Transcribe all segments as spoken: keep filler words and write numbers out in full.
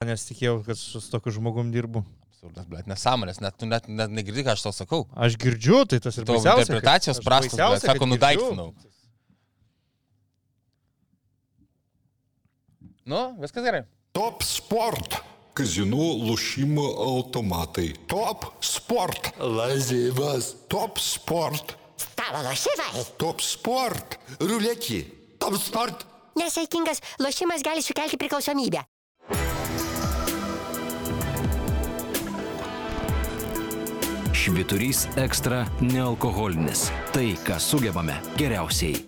Nes tikėjau, kad su tokiu žmogum dirbu. Absurdas, blėt, nesąmonės, net, net, net negirdi, ką aš tau sakau. Aš girdžiu, tai tas ir tavo baisiausia. Interpretacijos prastos, blėt, sako, nudaiktinau. Nu, viskas gerai. Top Sport. Казино, лошимо, автоматы. Top Sport. Лазивас. Top Sport. Stalo lošimai. Top Sport. Ruletį. Top Sport. Nesaikingas lošimas gali sukelti priklausomybę. Švyturys ekstra nealkoholinis. Tai, ką sugebame geriausiai.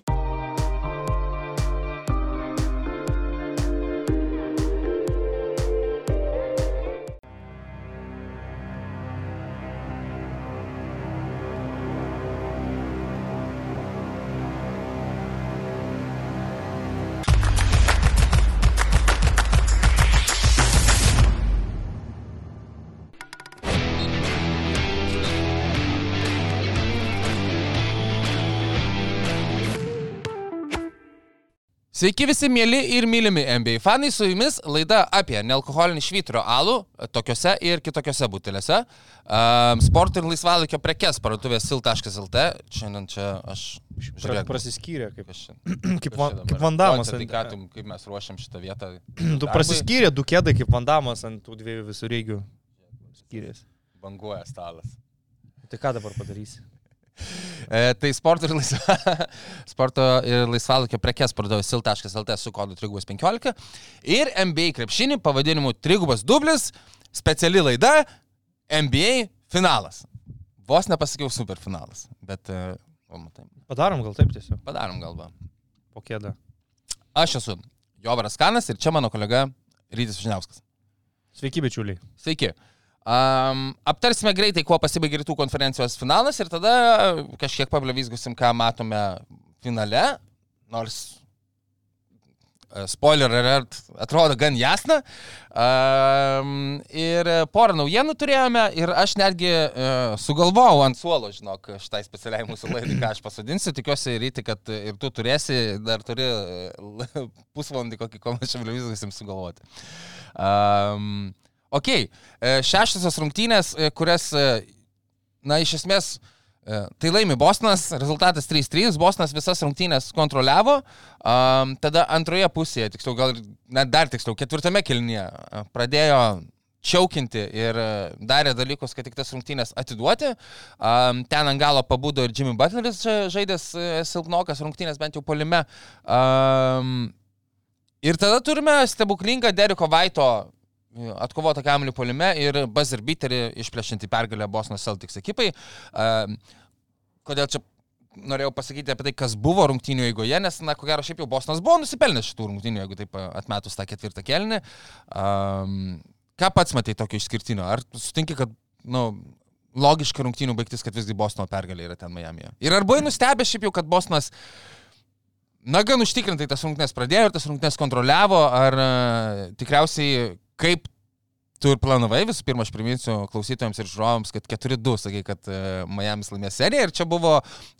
Sveiki visi mėly ir mylimi N B A fanai, su jumis laida apie nealkoholinį švyturio alų tokiuose ir kitokiuose buteliuose. Um, sport ir laisvalaikio prekes parduotuvės sil taškas el t. Šiandien čia aš žiūrėk, prasiskyrė kaip, aš, kaip, van, kaip Vandamas. Tai ką, tu, kaip mes ruošiam šitą vietą? Tu prasiskyrė du kėdai kaip Vandamas ant tų dviejų visureigių skyrės. Banguoja stalas. Tai ką dabar padarysi? E, tai sporto ir, laisva, sporto ir laisvalaikio prekes parduotuvės sil taškas el t su kodu trigubas penkiolika ir N B A krepšinį pavadinimu trigubas dublis, speciali laida N B A finalas. Vos nepasakiau superfinalas, bet uh, o, matai. Padarom gal taip tiesiog? Padarom galva. Po kėdą. Aš esu Jovaras Kanas ir čia mano kolega Rytis Vyšniauskas. Sveiki, bičiuliai. Sveiki. Um, aptarsime greitai, kuo pasibaigė rytų konferencijos finalas ir tada kažkiek pablevizgusim, ką matome finale, nors uh, spoiler alert atrodo gan jasna. Um, ir porą naujienų turėjome ir aš netgi uh, sugalvojau ant suolo, žinok, šitai specialiai mūsų laidai, ką aš pasodinsiu. Tikiuosi, Ryti, kad ir tu turėsi, dar turi uh, pusvalandį kokį, kol mes čia blevizgusim sugalvoti. Um, Ok, šeštosios rungtynės, kurias, na, iš esmės, tai laimi Bostonas, rezultatas trys trys, Bostonas visas rungtynės kontroliavo, um, tada antroje pusėje, tiksliau, gal net dar tiksliau, ketvirtame kėlinyje pradėjo čiaukinti ir darė dalykus, kad tik tas rungtynės atiduoti. Um, ten ant galo pabudo ir Jimmy Butleris žaidęs silpnokas rungtynės, bent jau puolime. Um, ir tada turime stebuklingą Deriko Vaito atkovotą kamuolį puolime ir buzzer beaterį išplėšinti pergalę Boston Celtics ekipai. Uh, kodėl čia norėjau pasakyti apie tai, kas buvo rungtynių eigoje, nes, na, ko gero, šiaip jau Bostonas buvo nusipelnęs šitų rungtynių, jeigu taip atmetus tą ketvirtą kėlinį. Um, ką pats matai tokio išskirtinio? Ar sutinki, kad, nu, logiška rungtynių baigtis, kad visgi Bostono pergalė yra ten Miamyje? Ir ar buvai nustebęs šiaip jau, kad Bostonas na, gan užtikrintai tas rungtynės pradėjo ir tas rungtynės kontroliavo, ar uh, tikriausiai kaip tu ir planavai, visų pirma, aš priminsiu klausytojams ir žiūrovams, kad keturi du, sakai, kad uh, Miamis laimės seriją ir čia buvo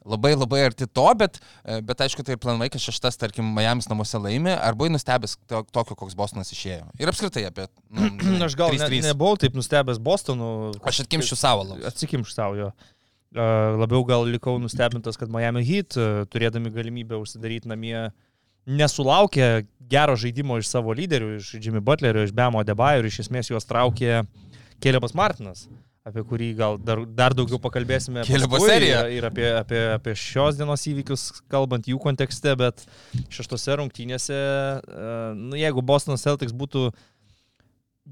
labai labai arti to, bet, uh, bet aišku, tai ir planavai, kad šeštas, tarkim, Miamis namuose laimė, ar buvai nustebęs to, tokio, koks Bostonas išėjo? Ir apskritai apie... Nu, aš gal ne, nebuvau taip nustebęs Bostonu. Aš atkimščiu savo labai. Atsikimščiu savo jo. Uh, labiau gal likau nustebintas, kad Miami Heat, uh, turėdami galimybę užsidaryti namie, nesulaukė gero žaidimo iš savo lyderių, iš Jimmy Butlerio, iš Bamo Adebayo ir iš esmės juos traukė Calebas Martinas, apie kurį gal dar, dar daugiau pakalbėsime paskui ir apie, apie, apie šios dienos įvykius, kalbant jų kontekste, bet šeštose rungtynėse, nu, jeigu Boston Celtics būtų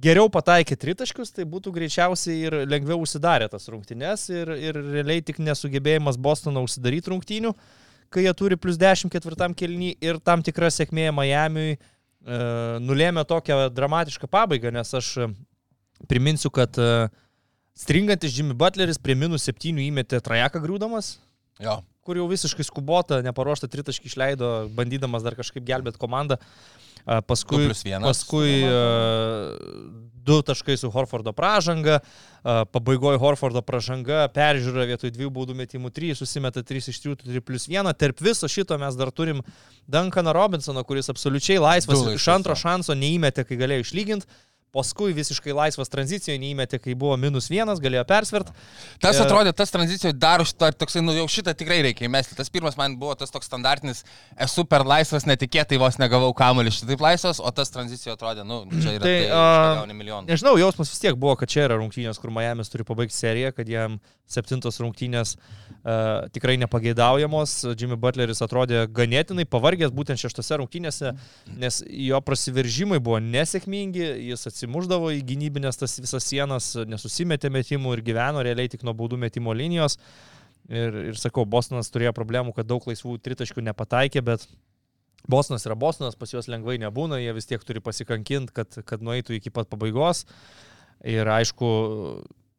geriau pataikę tritaškius, tai būtų greičiausiai ir lengviau užsidarę tas rungtynės ir, ir realiai tik nesugebėjimas Bostono užsidaryti rungtynių, kai jie turi plus dešimt ketvirtam kėlinį ir tam tikra sėkmė Miamiui e, nulėmė tokią dramatišką pabaigą, nes aš priminsiu, kad e, stringantis Jimmy Butleris prie minus septynių įmetė trajeką griūdamas, jo. Kur jau visiškai skubota, neparuoštą tritaškį išleido, bandydamas dar kažkaip gelbėti komandą. Paskui, paskui du taškai su Horfordo pražanga, pabaigoje Horfordo pražanga, peržiūra vietoj dviejų baudų metimų trys, susimeta trys iš trijų, turi plus vieną. Tarp viso šito mes dar turim Duncaną Robinsoną, kuris absoliučiai laisvas iš antro šanso neįmetė, kai galėjo išlyginti. paskui visiškai laisvas tranzicijoje neįmetė, kai buvo minus vienas, galėjo persvert. Tas Ir- atrodė, tas tranzicijoje dar šitą, toksai, nu jau šitą tikrai reikia įmesti. Tas pirmas man buvo tas toks standartinis, esu per laisvas, netikėtai vos negavau kamuolį šitaip laisvas, o tas tranzicijoje atrodė, nu, čia yra Tai, tai, a, tai gauni milijoną. Nežinau, jausmas vis tiek buvo, kad čia yra rungtynės, kur Miamis turi pabaigti seriją, kad jam septintos rungtynės uh, tikrai nepageidaujamos. Jimmy Butleris atrodė ganėtinai pavargęs būtent šeštose rungtynėse, nes jo prasiveržimai buvo nesėkmingi, jis atsimuždavo į gynybinės tas visas sienas, nesusimetė metimų ir gyveno realiai tik nuo baudų metimo linijos. Ir, ir sakau, Bostonas turėjo problemų, kad daug laisvų tritaškių nepataikė, bet Bostonas yra Bostonas, pas juos lengvai nebūna, jie vis tiek turi pasikankinti, kad, kad nueitų iki pat pabaigos. Ir aišku,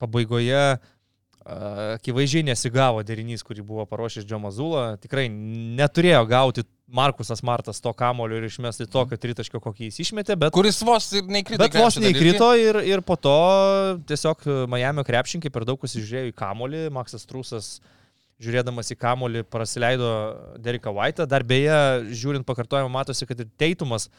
pabaigoje a, akivaizdžiai nesigavo derinys, kurį buvo paruošęs Džo Mazula. Tikrai neturėjo gauti Markusas Martas to kamolio ir išmesti tokio tritaškio, kokį jis išmetė, bet, Kuris vos ir neįkrito. bet vos neįkrito ir, ir po to tiesiog Miamio krepšininkai per daug pasižiūrėjo į kamolį. Maksas Trusas, žiūrėdamas į kamolį, prasileido Deriką White'ą. Dar beje, žiūrint pakartojimą, matosi, kad ir Teitumas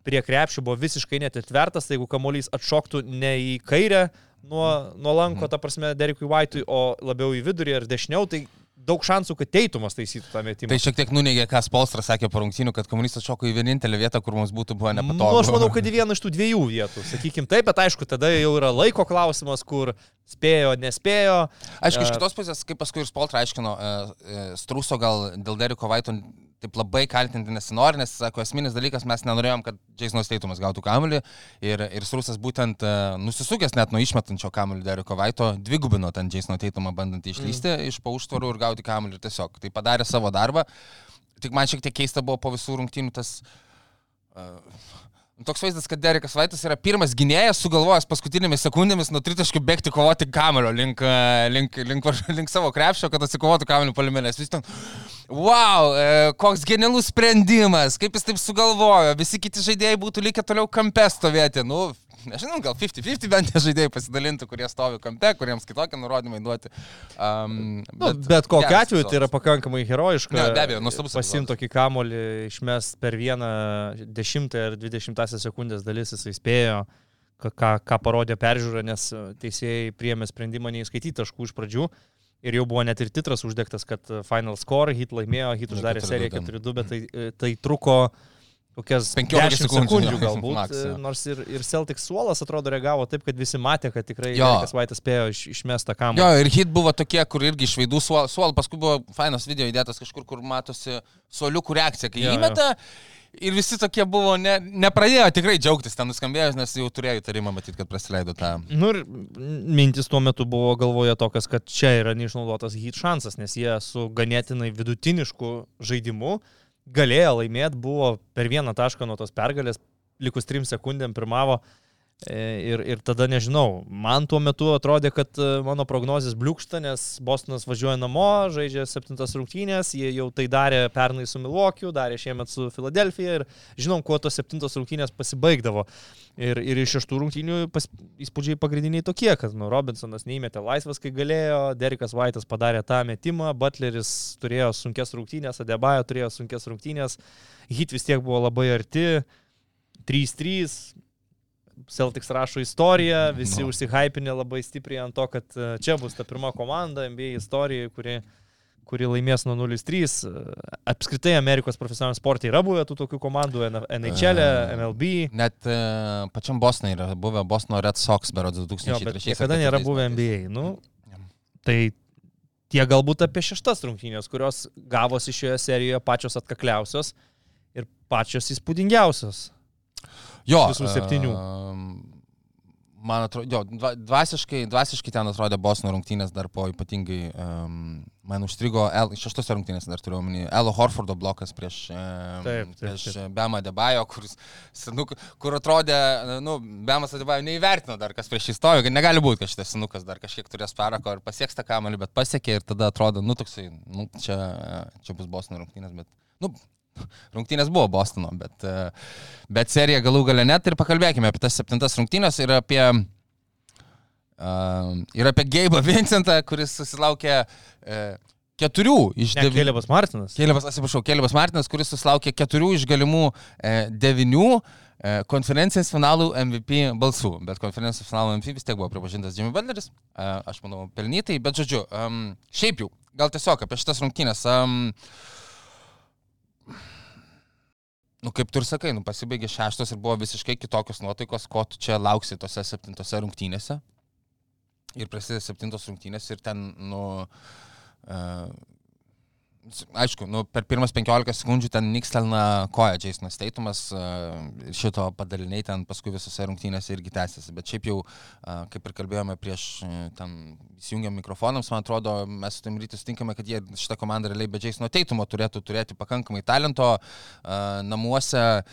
prie krepšių buvo visiškai netitvertas, tai jeigu kamuolys atšoktų ne į kairę nuo, nuo lanko, ta prasme, Derikui White'ui, o labiau į vidurį ar dešiniau, tai daug šansų, kad Teitumas taisytų tą metimą. Tai šiek tiek nuneigė, ką Spolstras sakė po rungtynių, kad kamuolys atšoko į vienintelę vietą, kur mums būtų buvo nepatogu. Nu, aš manau, kad į vieną iš tų dviejų vietų, sakykim taip, bet aišku, tada jau yra laiko klausimas, kur spėjo, nespėjo. Aišku, iš E, kitos pusės, kaip paskui ir Spoltra aiškino, e, e, Struso gal dėl Deriko White'o taip labai kaltinti nesinori, nes, sako, esminis dalykas, mes nenorėjom, kad Jasonas Teitumas gautų kamuolį ir, ir Strusas būtent e, nusisukęs net nuo išmetančio kamuolį Deriko White'o, dvigubino ten Jasoną Teitumą bandant išlysti mm. iš po užtvarų ir gauti kamuolį ir tiesiog. Tai padarė savo darbą. Tik man šiek tiek keista buvo po visų rungtynių tas... Uh, Toks vaizdas, kad Derikas White'as yra pirmas gynėjas, sugalvojęs paskutinėmis sekundėmis nuo tritaškių bėgti kovoti kamuolio link, link, link, link savo krepšio, kad atsikovotų kamuolio puolime. Vis ten, wow, koks genialus sprendimas, kaip jis taip sugalvojo, visi kiti žaidėjai būtų likę toliau kampe stovėti. Nu, nežinau, gal penkdesimt penkdesimt bent žaidėjai pasidalintų, kurie stovi kampe, kuriems kitokie nurodymai duoti. Um, Nu, bet bet kokiu atveju tai yra pakankamai herojiška. Ne, be abejo, nuostabus Pasimti tokį kamolį, išmest per vieną dešimtą ar dvidešimtąsią sekundės dalis, jisai spėjo, ką, ką, ką parodė peržiūra, nes teisėjai priėmė sprendimą neįskaityti taškų iš pradžių. Ir jau buvo net ir titras uždegtas, kad final score, Heat laimėjo, Heat uždarė seriją keturi du, bet tai, tai truko kokias penkiolika dešimt sekundžių, sekundžių jo, galbūt, max, jo. nors ir, ir Celtics suolas atrodo reagavo taip, kad visi matė, kad tikrai Jo. Derikas White'as spėjo iš, išmestą kamuolį. Jo, ir Heat buvo tokie, kur irgi iš veidų suol, suol paskui buvo fainas video įdėtas kažkur, kur matosi suoliukų reakcija, kai Jo, įmeta. Ir visi tokie buvo, ne, nepradėjo tikrai džiaugtis ten nuskambėjus, nes jau turėjo įtarimą matyti, kad prasileido tą. Nu ir mintis tuo metu buvo galvoje tokias, kad čia yra neišnaudotas Heat šansas, nes jie su ganėtinai vidutinišku žaidimu galėjo laimėti, buvo per vieną tašką nuo tos pergalės, likus trim sekundėm pirmavo. Ir, ir tada nežinau, man tuo metu atrodė, kad mano prognozijas bliūkšta, nes Bostonas važiuoja namo, žaidžia septintas rungtynės, jie jau tai darė pernai su Milwaukee'u, darė šiemet su Filadelfija ir žinom, kuo tos septintos rungtynės pasibaigdavo. Ir, ir iš šeštų rungtynių pas, įspūdžiai pagrindiniai tokie, kad nu, Robinsonas neįmetė laisvas, kai galėjo, Derikas White'as padarė tą metimą, Butleris turėjo sunkes rungtynės, Adebayo turėjo sunkes rungtynės, Heat vis tiek buvo labai arti, trys trys. Celtics rašo istoriją, visi no. užsihypinė labai stipriai ant to, kad čia bus ta pirma komanda N B A istorijoje, kuri, kuri laimės nuo nulis trys. Apskritai Amerikos profesionaliam sporte yra buvę tų tokių komandų, N H L, M L B. Net uh, pačiam Bostonui yra buvę Bostono Red Sox berods du tūkstančiai trečiais. Jo, bet niekada nėra buvę N B A. Nu, tai tie galbūt apie šeštas rungtynės, kurios gavosi šioje serijoje pačios atkakliausios ir pačios įspūdingiausios. Jo, visų septynių. Uh, man atrodo, jo, dvasiškai, dvasiškai ten atrodė Bostono rungtynės dar po ypatingai, um, man užstrigo, El, šeštose rungtynės dar turiu omeny, Elo Horfordo blokas prieš, um, taip, taip, prieš taip. Bemą Adebayo, kuris, senuk, kur atrodė, nu, Bemas Adebayo neįvertino dar, kas prieš jį stojo, kad negali būti, kad šitas senukas dar kažkiek turės parako ir pasieks tą kamalį, bet pasiekė ir tada atrodo, nu, toksai, nu, čia, čia bus Bostono rungtynės, bet, nu, rungtynės buvo Bostono, bet, bet serija galų gale net ir pakalbėkime apie tas septintas rungtynės ir apie, uh, ir apie Gabe'ą Vincentą, kuris susilaukė uh, keturių iš ne, devynių. Kelebas Martinas. Kelebas, atsiprašau, Kelebas Martinas, kuris susilaukė keturių iš galimų uh, devinių. konferencijos finalų M V P balsų, bet konferencijos finalų M V P vis tiek buvo pripažintas Jimmy Butleris, aš manau pelnytai, bet žodžiu, um, šiaip jau, gal tiesiog apie šitas rungtynės, um, nu kaip tu ir sakai, nu pasibaigė šeštos ir buvo visiškai kitokios nuotaikos, ko tu čia lauksi tose septintose rungtynėse ir prasidės septintos rungtynės ir ten, nu, uh, aišku, nu, per pirmas penkiolika sekundžių ten nikstelna koja Jasonas Tatumas, šito padaliniai ten paskui visose rungtynėse irgi tęsiasi, bet šiaip jau, kaip ir kalbėjome prieš ten įsijungiam mikrofonams, man atrodo, mes su tam rytis sutinkame, kad jie šitą komandą realiai be Jasono Tatumo turėtų turėti pakankamai talento namuose.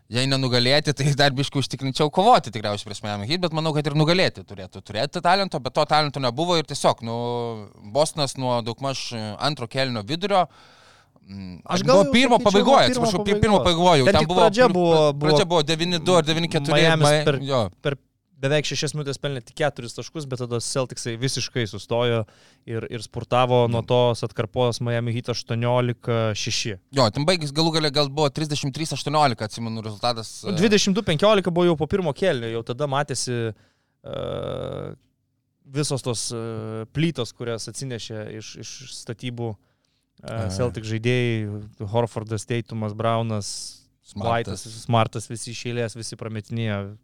Jei nenugalėti, tai dar biškai užtikrinčiau kovoti tikriausiai prieš Miami Heat, bet manau, kad ir nugalėti turėtų turėti talento, bet to talento nebuvo ir tiesiog, nu, Bostonas nuo daugmaž antro kėlinio vidurio, aš gal buvo pirmo pabaigoje, atsiprašau, pirmo pabaigoje, ten buvo, pradžia buvo, pradžia buvo devyni du ar devyni keturi, Miamis per, per beveik šešias minutės pelnė tik keturis taškus, bet tada Celticsai visiškai sustojo ir, ir spurtavo nuo tos atkarpos Miami Heat aštuoniolika šeši. Jo, ten baigis galų galia gal buvo trisdešimt trys aštuoniolika, atsimenu, rezultatas. dvidešimt du penkiolika buvo jau po pirmo kėlinio, jau tada matėsi uh, visos tos uh, plytos, kurias atsinešė iš, iš statybų uh, Celtic žaidėjai, Horfordas, Tatumas, Brownas, Smartas, Smartas, visi iš eilės, visi prametinėjo.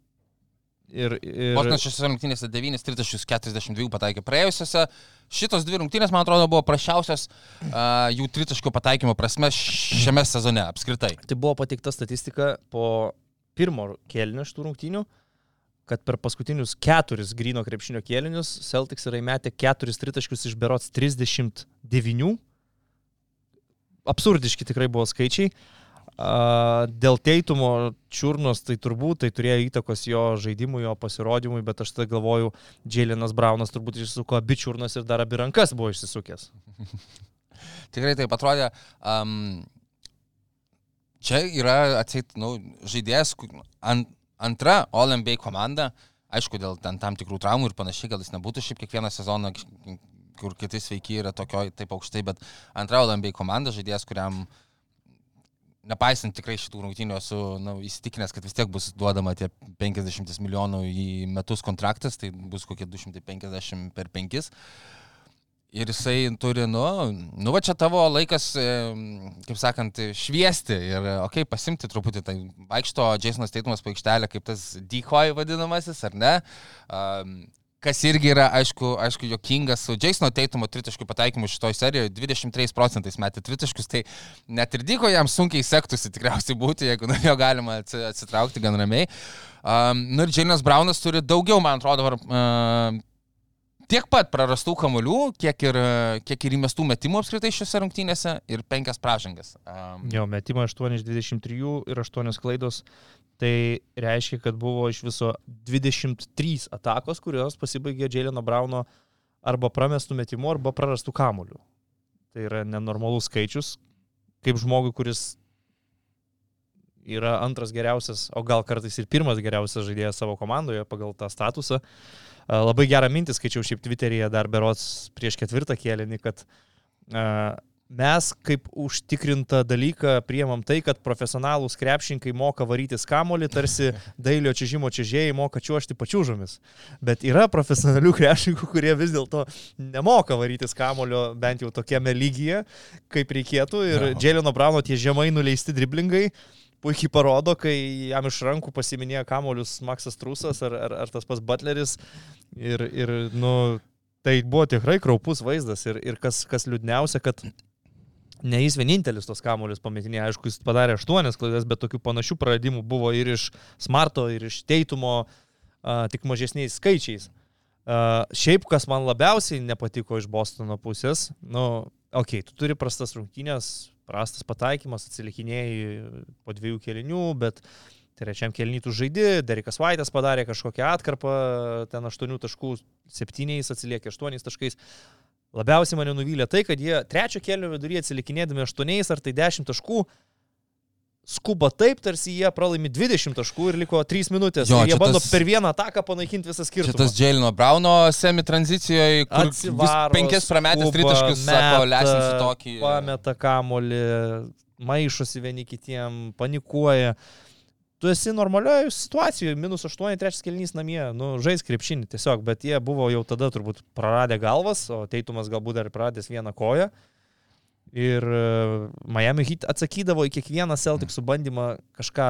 Ir, ir... Bostonas šiose rungtynėse devynis tritaškius keturiasdešimt du pataikė praėjusiose. Šitos dvi rungtynės, man atrodo, buvo prasčiausios uh, jų tritaškio pataikymo prasme šiame sezone apskritai. Tai buvo pateikta statistika po pirmo kėlinio šitų rungtynių, kad per paskutinius keturis gryno krepšinio kėlinius Celtics yra įmetę keturis tritaškius iš berods trisdešimt devynių. Absurdiški tikrai buvo skaičiai. Uh, dėl Tatumo čiurnos tai turbūt tai turėjo įtakos jo žaidimui, jo pasirodymui, bet aš tada galvoju, Jaylenas Brownas turbūt išsisuko abi čiurnas ir dar abi rankas buvo išsisukęs. Tikrai taip atrodė. Um, čia yra atseit, nu, žaidėjas ant, antra All-N B A komanda, aišku, dėl ten tam tikrų traumų ir panašiai, gal jis nebūtų šiaip kiekvieną sezoną, kur kiti sveiki yra tokio taip aukštai, bet antra All-N B A komanda, žaidėjas, kuriam nepaisant tikrai šitų rungtynių esu nu, įsitikinęs, kad vis tiek bus duodama tie penkiasdešimt milijonų į metus kontraktas, tai bus kokie du šimtai penkiasdešimt per penkis. Ir jisai turi, nu, nu va čia tavo laikas, kaip sakant, šviesti ir, okei, okay, pasimti truputį, tai vaikšto Jasonas Tatumas po aikštelę kaip tas decoy vadinamasis, ar ne? Um, Kas irgi yra, aišku, aišku jokingas su Jasono Tatumo tritaškių pataikymu šitoj serijoje, dvidešimt trys procentais metė tritaškius, tai net ir Dyko jam sunkiai sektųsi tikriausiai būti, jeigu nuo jo galima atsitraukti gan ramiai. Um, nu ir Jaylenas Brownas turi daugiau, man atrodo, uh, tiek pat prarastų kamuolių, kiek ir, kiek ir įmestų metimų apskritai šiose rungtynėse ir penkias pražangas. Um, jo, metimą aštuoni iš dvidešimt trijų ir aštuonios klaidos. Tai reiškia, kad buvo iš viso dvidešimt trys atakos, kurios pasibaigė Jayleno Browno arba pramestų metimų, arba prarastų kamuolių. Tai yra nenormalus skaičius, kaip žmogui, kuris yra antras geriausias, o gal kartais ir pirmas geriausias žaidėjas savo komandoje pagal tą statusą. Labai gerą mintį skaičiau šiaip Twitteryje dar berods prieš ketvirtą kėlinį, kad uh, mes kaip užtikrintą dalyką priemam tai, kad profesionalūs krepšininkai moka varytis kamuolį, tarsi dailio čiuožimo čiuožėjai moka čiuožti pačiūžomis. Bet yra profesionalių krepšininkų, kurie vis dėlto nemoka varytis kamuolio bent jau tokiame lygyje, kaip reikėtų. Ir no. Jayleno Browno tie žemai nuleisti driblingai puikiai parodo, kai jam iš rankų pasiminėjo kamuolius Maksas Trusas ar, ar, ar tas pas Butleris. Ir, ir nu, tai buvo tikrai kraupus vaizdas. Ir, ir kas, kas liūdniausia, kad ne jis vienintelis tos kamuolius pametinė, aišku, jis padarė aštuonias klaidas, bet tokių panašių praradimų buvo ir iš Smarto, ir iš Tatumo, uh, tik mažesniais skaičiais. Uh, šiaip, kas man labiausiai nepatiko iš Bostono pusės, nu, okei, okay, tu turi prastas rungtynės, prastas pataikymas, atsilikinėjai po dviejų kėlinių, bet trečiam kėlinį tu žaidi, Derekas White'as padarė kažkokią atkarpą, ten aštuonių taškų, septyniais atsiliekė aštuoniais taškais. Labiausiai mane nuvylė tai, kad jie trečio kėlinio viduryje atsilikinėdami aštuoniais ar tai dešimt taškų skuba taip, tarsi jie pralaimi dvidešimt taškų ir liko trys minutės. Jo, jie bando tas, per vieną ataką panaikinti visą skirtumą. Šitas Jayleno Browno semi-tranzicijoje, kur Atsivaro, penkis prametęs tritaškius, sako, lesinsiu tokį. Pameta kamuolį, maišosi vieni kitiem, panikuoja. tu esi normalioje situacijoje, minus aštuoni, trečias kėlinys namie, nu, žais krepšinį tiesiog, bet jie buvo jau tada turbūt praradę galvas, o Teitumas galbūt dar praradęs vieną koją. Ir Miami Heat atsakydavo į kiekvieną Celticsų bandymą kažką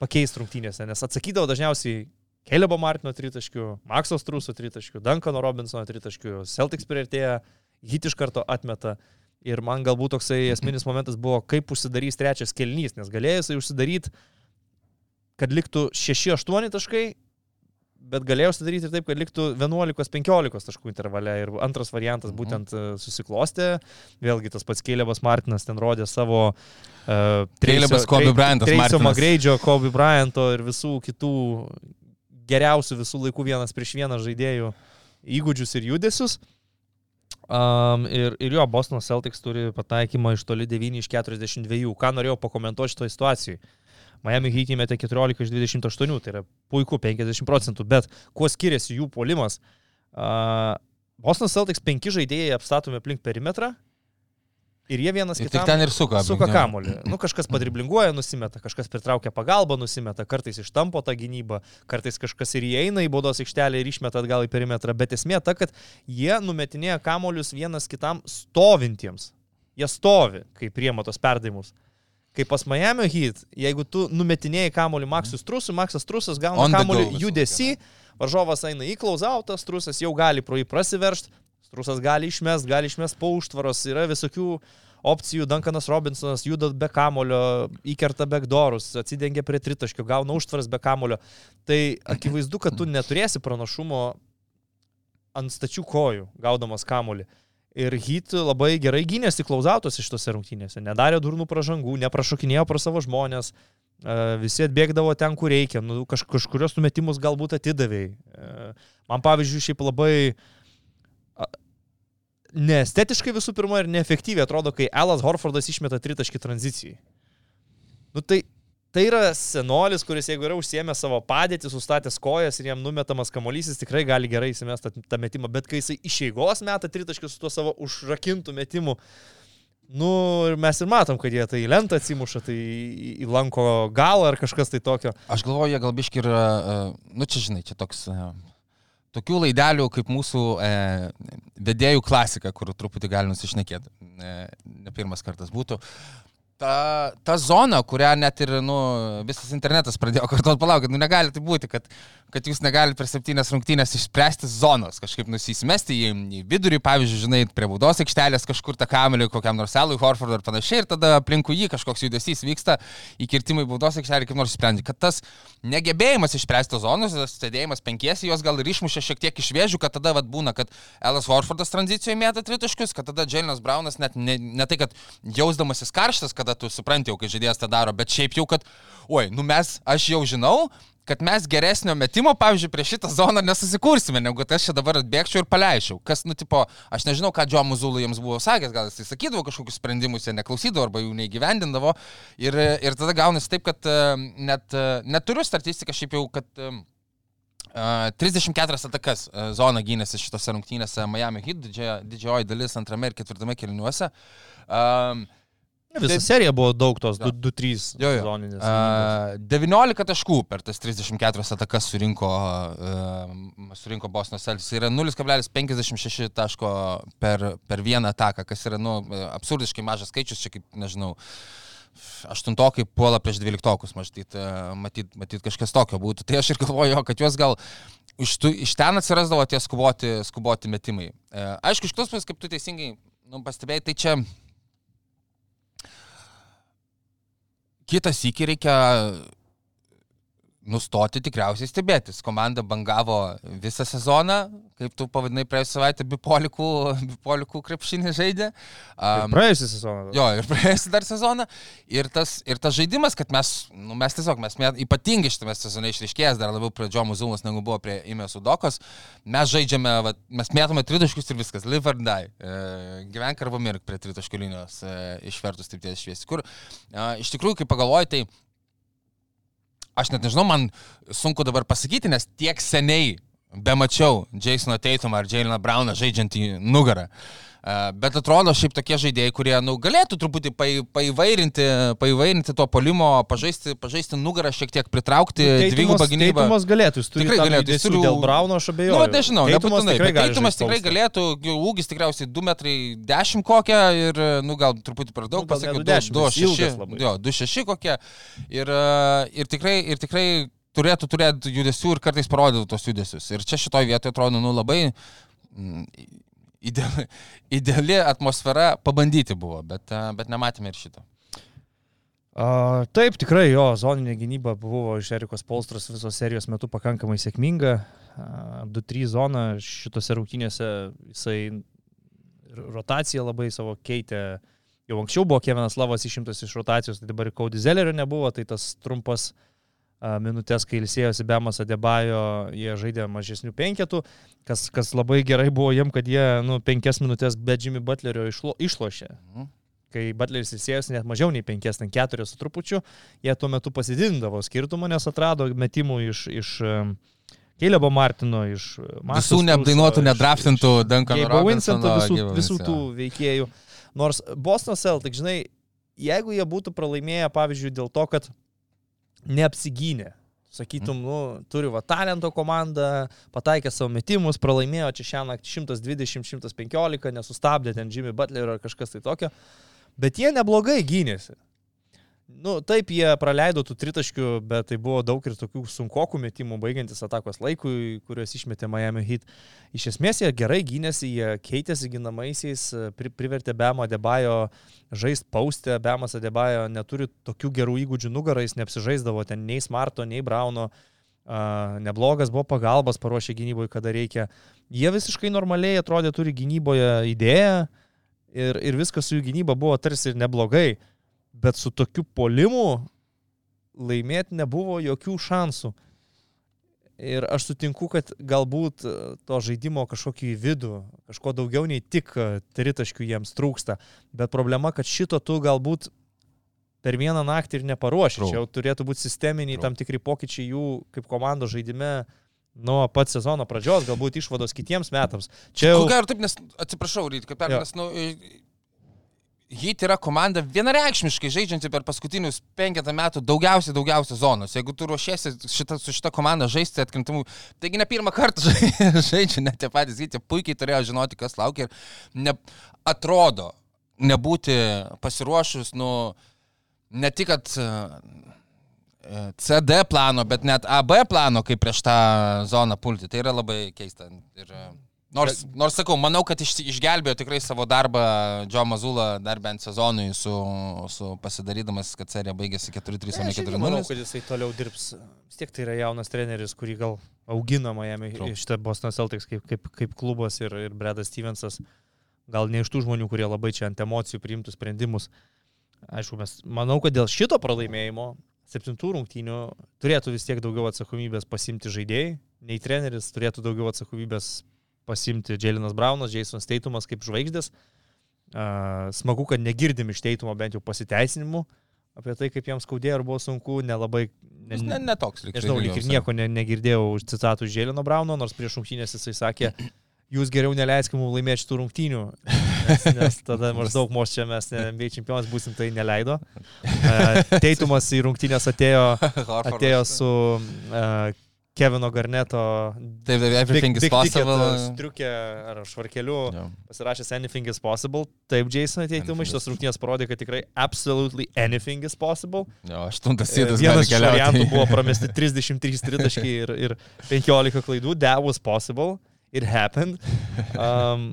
pakeisti rungtynėse, nes atsakydavo dažniausiai Calebo Martino tritaškių, Maxo Struso tritaškių, Duncano Robinsono tritaškių, Celtics priartėja, Heat iš karto atmeta. Ir man galbūt toksai esminis momentas buvo, kaip užsidarys trečias kėlinys, nes galėjo jisai užsidaryti, kad liktų šeši aštuoni taškai, bet galėjo užsidaryti ir taip, kad liktų vienuolika penkiolika taškų intervale. Ir antras variantas būtent susiklostė. Vėlgi tas pats Calebas Martinas ten rodė savo uh, Calebas Kobe Bryantas Martinas. Trace'o Magreidžio, Kobe Bryanto ir visų kitų geriausių visų laikų vienas prieš vieną žaidėjų įgūdžius ir judesius. Um, ir, ir jo, Boston Celtics turi pataikymą iš toli devyni iš keturiasdešimt dviejų. Ką norėjau pakomentuoti šitoje situacijoje? Miami Heat įmetė keturiolika iš dvidešimt aštuonių, tai yra puiku, penkiasdešimt procentų, bet kuo skiriasi jų puolimas? Uh, Boston Celtics penki žaidėjai apstatomi aplink perimetrą ir jie vienas ir kitam ten ir suka, suka kamuolį. Nu, kažkas padriblinguoja, nusimeta, kažkas pritraukia pagalbą, nusimeta, kartais ištampo tą gynybą, kartais kažkas ir įeina į baudos aikštelę ir išmeta atgal į perimetrą, bet esmė ta, kad jie numetinėja kamuolius vienas kitam stovintiems. Jie stovi, kai priema tos perdavimus. Kaip pas Miami Heat, jeigu tu numetinėjai kamuolį Maxui Strusui, Maxas Strusas gauna kamuolį judesį, varžovas eina į klausautą, Strusas jau gali pro jį prasiveršti, Strusas gali išmest, gali išmest po užtvaros, yra visokių opcijų, Duncanas Robinsonas juda be kamulio, įkerta backdoorus, atsidengia prie tritaškio, gauna užtvaras be kamulio. Tai akivaizdu, kad tu neturėsi pranašumo ant stačių kojų, gaudamas kamulį. Ir Heat labai gerai gynėsi klauzautos iš tose rungtynėse, nedarė durnų pražangų, neprašokinėjo pro savo žmonės, visi atbėgdavo ten, kur reikia, nu, kaž, kažkurios numetimus galbūt atidavėjai. Man pavyzdžiui, šiaip labai neestetiškai visų pirma ir neefektyviai atrodo, kai Alas Horfordas išmeta tritaškį tranzicijai. Nu tai, tai yra senolis, kuris jeigu yra užsiėmę savo padėtį, sustatęs kojas ir jam numetamas kamuolys, jis tikrai gali gerai įsimesti tą metimą, bet kai jisai iš eigos meta tritaškį su tuo savo užrakintų metimu, nu ir mes ir matom, kad jie tai lentą atsimuša, tai į lanko galą ar kažkas tai tokio. Aš galvoju, jie gal biški yra, nu čia žinai, čia toks... Tokių laidelių kaip mūsų e, vedėjų klasika, kur truputį gali nusišnekėti, e, ne pirmas kartas būtų. Ta, ta zona, kurią net ir nu, visas internetas pradėjo kartuot, palaukit, nu negali tai būti, kad, kad jūs negalite per septynias rungtynės išspręsti zonos, kažkaip nusisimesti į, į vidurį, pavyzdžiui, žinai, prie baudos aikštelės kažkur tą kamelį kokiam nors Alui Horfordui ar panašiai, ir tada aplinkui jį kažkoks judesys vyksta, įkirtimai baudos aikštelį kaip nors sprendžia. Kad tas negebėjimas išspręsti zonos, tas stedėjimas penkiesi, jos gal ir išmušė šiek tiek iš vėžių, kad tada vat, būna, kad Alas Horfordas tranzicijoje mėta tritaškius, kad tada Jaylenas Brownas net ne, ne tai, kad jausdamasis karštas, kada tu supranti jau, kai žaidėjas tą daro, bet šiaip jau, kad, oi, nu mes, aš jau žinau, kad mes geresnio metimo, pavyzdžiui, prie šitą zoną nesusikursime, negu kad aš čia dabar atbėgčiau ir paleičiau. Kas, nu, tipo, aš nežinau, ką Joe Mazzulla jiems buvo sakęs, gal jis sakydavo kažkokius sprendimus, jie neklausydavo arba jų neįgyvendindavo. Ir, ir tada gaunasi taip, kad net, neturiu statistiką šiaip jau, kad uh, trisdešimt keturias atakas uh, zona gynėsi šitose rungtynėse Miami Heat, didžioji, didžioji dalis antrame ir ketvirtame kėliniuose. Um, Visa serija buvo daug tos du trys zoninės. Uh, devyniolika taškų per tas trisdešimt keturias atakas surinko, uh, surinko Boston Celtics. Tai yra nulis kablelis penkiasdešimt šeši taško per, per vieną ataką, kas yra nu, absurdiškai mažas skaičius, čia kaip, nežinau, aštuntokai puola prieš dvyliktokus, matyt, matyt, matyt kažkas tokio būtų. Tai aš ir galvoju, kad juos gal iš, tu, iš ten atsirasdavo tie skuboti, skuboti metimai. Uh, aišku, iš tos pusės, kaip tu teisingai nu, pastebėjai, tai čia kitas iki reikia nustoti tikriausiai stebėtis. Komanda bangavo visą sezoną, kaip tu pavadinai praėjusią savaitę, bipolikų, bipolikų krepšinį žaidė. Um, ir praėjusią sezoną. Jo, ir praėjusią dar sezoną. Ir tas, ir tas žaidimas, kad mes, nu, mes tiesiog, mes ypatingai šitame sezone išryškėjęs, dar labiau prie Joe Mazzulos negu buvo prie Imės Udokos, mes žaidžiame, va, mes mėtome tritaškius ir viskas, live or die. E, gyvenk arba mirk prie tritaškių linijos, e, išvertus taip ties šviesi. Kur, e, iš tikrųjų, kai pagalvoji, tai aš net nežinau, man sunku dabar pasakyti, nes tiek seniai bemačiau Jasoną Tatumą ar Jayleną Browną žaidžiantį nugarą. Bet atrodo šiaip tokie žaidėjai, kurie nu, galėtų truputį paįvairinti, paįvairinti to polimo, pažaisti, pažaisti nugarą, šiek tiek pritraukti dvigubą gynybą. Teitumas galėtų, jis turi tikrai galėtų, jis turi dėl Brauno, aš abejoju. Nu, nežinau, nebūtinai, bet Teitumas tikrai postą. galėtų, ūgis tikriausiai du metrai dešimt kokią ir, nu, gal truputį per daug, nu, pasakiau, du šeši kokie. Ir, ir, tikrai, ir tikrai turėtų turėti judesių ir kartais parodyti tos judesius. Ir čia šitoj vietoje atrodo, nu, labai... Mm, Ideali, ideali atmosfera pabandyti buvo, bet, bet nematėme ir šito. Uh, taip, tikrai jo zoninė gynyba buvo iš Erikos Polstros visos serijos metu pakankamai sėkminga. Uh, du trys zona šitose rungtynėse jisai rotaciją labai savo keitė. Jau anksčiau buvo Kevinas Lavas išimtas iš rotacijos, tai dabar Cody Zellerio nebuvo, tai tas trumpas minutės, kai ilsėjosi Bemas Adebayo, jie žaidė mažesnių penketų, kas, kas labai gerai buvo jiem, kad jie nu, penkias minutės be Jimmy Butlerio išlo, išlošė. Mhm. Kai Butleris ilsėjosi net mažiau nei penkias, ten keturias su trupučiu, jie tuo metu pasididindavo skirtumą, nes atrado metimų iš, iš Calebo Martino, iš Marcus visų neapdainuotų, nedraftintų Duncan Robinsono, visų, visų tų veikėjų. Nors Boston Celtics, žinai, jeigu jie būtų pralaimėję, pavyzdžiui, dėl to, kad neapsigynė. Sakytum, nu, turi va talento komandą, pataikė savo metimus, pralaimėjo čia šią naktį šimtas dvidešimt šimtas penkiolika, nesustabdė ten Jimmy Butler ar kažkas tai tokio, bet jie neblogai gynėsi. Nu, taip, jie praleido tų tritaškių, bet tai buvo daug ir tokių sunkokų metimų, baigiantis atakos laikui, kuriuos išmetė Miami Heat. Iš esmės jie gerai gynėsi, jie keitėsi ginamaisiais, pri, privertė Bemo Adebayo žaist paustę, Bemas Adebayo neturi tokių gerų įgūdžių nugarais, neapsižaisdavo ten nei Smarto, nei Brauno, uh, neblogas buvo pagalbas, paruošė gynyboje, kada reikia. Jie visiškai normaliai atrodė, turi gynyboje idėją ir, ir viskas su jų gynyba buvo tarsi ir neblogai. Bet su tokiu polimu laimėti nebuvo jokių šansų. Ir aš sutinku, kad galbūt to žaidimo kažkokį vidų, kažko daugiau nei tik tritaškių jiems trūksta. Bet problema, kad šito tu galbūt per vieną naktį ir neparuoši. Čia jau turėtų būti sisteminiai Trau. tam tikri pokyčiai jų kaip komandos žaidime nuo pat sezono pradžios, galbūt išvados kitiems metams. Čia jau... Ko gero taip, nes atsiprašau, Ryd, kaip pernas, nu... Heat yra komanda vienareikšmiškai žaidžianti per paskutinius penketą metų daugiausiai, daugiausiai zonos. Jeigu tu ruošiesi šita, su šita komanda žaisti atkrintamų, taigi ne pirmą kartą žaidžia, net tie patys Heat, jie puikiai turėjo žinoti, kas laukia ir ne, atrodo nebūti pasiruošus, nu, ne tik, kad C D plano, bet net A B plano, kaip prieš tą zoną pulti. Tai yra labai keista. Ir, Nors, nors sakau, manau, kad iš, išgelbėjo tikrai savo darbą Joe Mazzulla dar bent sezonui su, su pasidarydamas, kad serija baigėsi keturi trys, o ne keturi nulis. Manau, kad jisai toliau dirbs. Vis tiek tai yra jaunas treneris, kurį gal augina Miami iš tą Boston Celtics kaip, kaip, kaip klubas ir, ir Bradas Stevensas. Gal ne iš tų žmonių, kurie labai čia ant emocijų priimtų sprendimus. Aišku, mes manau, kad dėl šito pralaimėjimo septintų rungtynių turėtų vis tiek daugiau atsakomybės pasimti žaidėjai, nei treneris turėtų daugiau atsakomybės pasimti Jaylenas Brownas, Jasonas Tatumas kaip žvaigždės. Uh, smagu, kad negirdim iš Tatumo bent jau pasiteisinimų apie tai, kaip jiems skaudėjo ir buvo sunku, nelabai... Ne, ne, ne toks, lyg. Nežinau, lyg ir nieko ne, negirdėjau už citatų iš Jayleno Browno, nors prieš rungtynės jisai sakė, jūs geriau neleiskime mums laimėti šitų rungtynių, nes, nes tada maždaug mūsų čia mes N B A čempionas būsim, tai neleido. Uh, Tatumas į rungtynės atėjo, atėjo su... Uh, Kevino Garneto taip, taip, everything big, is possible striukė ar švarkeliu yeah. pasirašęs anything is possible. Taip, Jason Tatumui šitas rungtynės parodė, kad tikrai absolutely anything is possible. Jo, aštuntas sėdas gali keliauti. Vienas iš variantų buvo pramesti trisdešimt trys tritaškiai ir, ir penkiolika klaidų. That was possible. It happened. Um,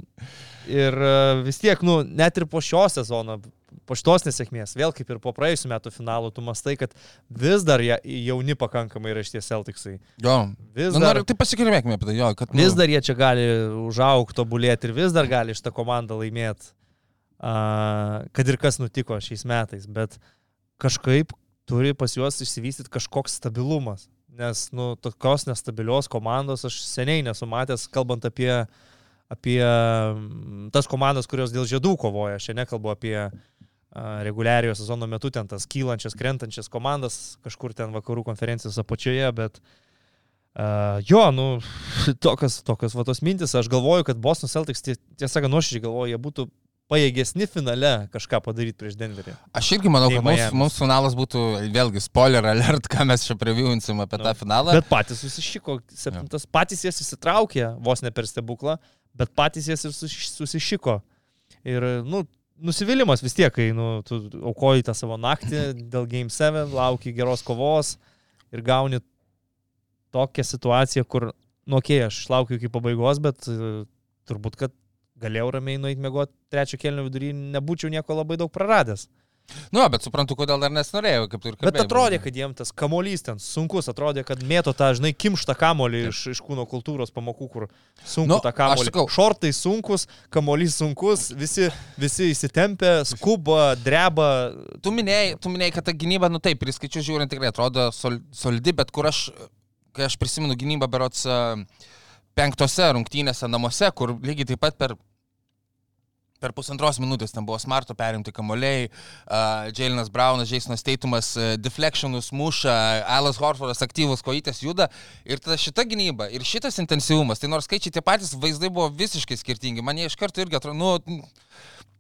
ir vis tiek, nu, net ir po šio sezono, po šitos nesėkmės, vėl kaip ir po praėjusių metų finalų, tu mastai, kad vis dar jauni pakankamai yra šitie Celticsai. Jo, vis nu, dar, tai pasikalbėkime apie tai, jo. Kad, nu... Vis dar jie čia gali užaugti, tobulėti ir vis dar gali šitą komandą laimėti, uh, kad ir kas nutiko šiais metais, bet kažkaip turi pas juos išsivystyti kažkoks stabilumas, nes, nu, tokios nestabilios komandos aš seniai nesu matęs, kalbant apie, apie tas komandas, kurios dėl žiedų kovoja, aš nekalbu apie reguliariojo sezono metu ten tas kylančias, krentančias komandas kažkur ten vakarų konferencijos apačioje, bet Uh, jo, nu, tokios, tokios va tos mintis, aš galvoju, kad Boston Celtics, tiesą sakant, nuoširdžiai galvoju, jie būtų pajėgesni finale kažką padaryti prieš Denverį. Aš irgi manau, kad mums, mums finalas būtų, vėlgi, spoiler alert, ką mes čia previewinsim apie no. tą finalą. Bet patys susišiko, septintas, ja. patys jie susitraukė, vos ne per stebuklą, bet patys jie susišiko. Ir, nu, nusivylimas vis tiek, kai nu, tu aukoji tą savo naktį dėl Game seven, lauki geros kovos ir gauni tokią situaciją, kur, nu, okei, okay, aš laukiu iki pabaigos, bet uh, turbūt, kad galėjau ramiai nueiti mėgoti trečio kėlinio vidury, nebūčiau nieko labai daug praradęs. Nu, bet suprantu, kodėl dar nesinorėjau, kaip tu ir kalbėjai. Bet atrodė, kad jiems tas kamuolys ten sunkus, atrodė, kad mėto tą, žinai, kimštą kamuolį iš, iš kūno kultūros pamokų, kur sunku nu, tą kamuolį. Šortai sunkus, kamuolys sunkus, visi, visi įsitempia, skuba, dreba. Tu minėjai, tu minėjai, kad ta gynyba, nu taip, priskaičiu žiūrint tikrai atrodo sol, solidi, bet kur aš, kai aš prisimenu gynybą berots penktose rungtynėse namuose, kur lygiai taip pat per Per pusantros minutės ten buvo Smarto perimti kamuoliai, uh, Jaylenas Brownas, Jasonas Tatumas, uh, deflectionus muša, Alas Horfordas aktyvus, kojytės juda. Ir tada šita gynyba ir šitas intensyvumas, tai nors skaičiai tie patys, vaizdai buvo visiškai skirtingi. Man jie iš karto irgi atrodo, nu,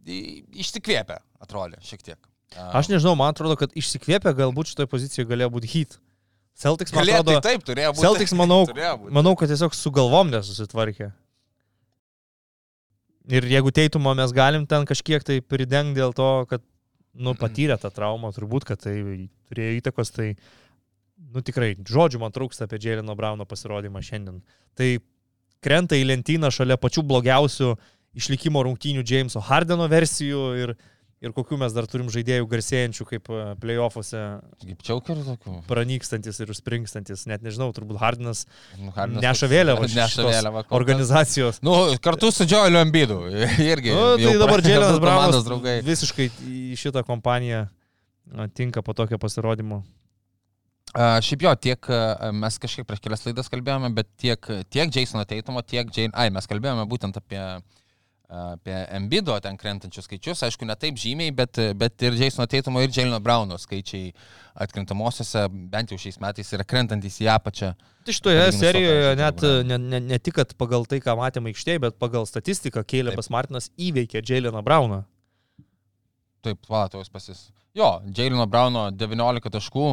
išsikvėpė, atrodė šiek tiek. Uh, Aš nežinau, man atrodo, kad išsikvėpė galbūt šitoje pozicijoje galėjo būti Heat. Celtics, man Galėtų, atrodo, tai taip, turėjo būti. Celtics, manau, būti. manau, kad tiesiog su galvom nesusitvarkė. Ir jeigu Teitumo mes galim ten kažkiek tai pridengti dėl to, kad, nu, patyrė tą traumą, turbūt, kad tai turėjo įtakos, tai, nu, tikrai, žodžių man trūksta apie Jayleno Browno pasirodymą šiandien. Tai krenta į lentyną šalia pačių blogiausių išlikimo rungtynių Jameso Hardeno versijų ir, ir kokių mes dar turim žaidėjų garsėjančių kaip play-offuose. Kaip čiaukerių tokių. Pranykstantis ir užspringstantis. Net nežinau, turbūt Hardenas, nu, Hardenas neša vėliavą vėliavą organizacijos. Nu, kartu su Joeliu Embiidu. Irgi. Nu, tai dabar Jaylenas Brownas visiškai į šitą kompaniją tinka po tokio pasirodymo. Uh, šiaip jo, tiek uh, mes kažkiek prieš kelias laidas kalbėjome, bet tiek, tiek Jasono Tatumo, tiek Jane... Ai, mes kalbėjome būtent apie apie Embiido ten krentančius skaičius, aišku, ne taip žymiai, bet, bet ir Jasono Tatumo ir Jayleno Browno skaičiai atkrintamosiose, bent jau šiais metais, yra krentantis į apačią. Tai šitoje serijoje net ne, ne, ne tik, kad pagal tai, ką matėme aikštėje, bet pagal statistiką Calebas Martinas įveikė Jayleną Browną. Taip, va, tos pasis. Jo, Jayleno Browno devyniolika taškų,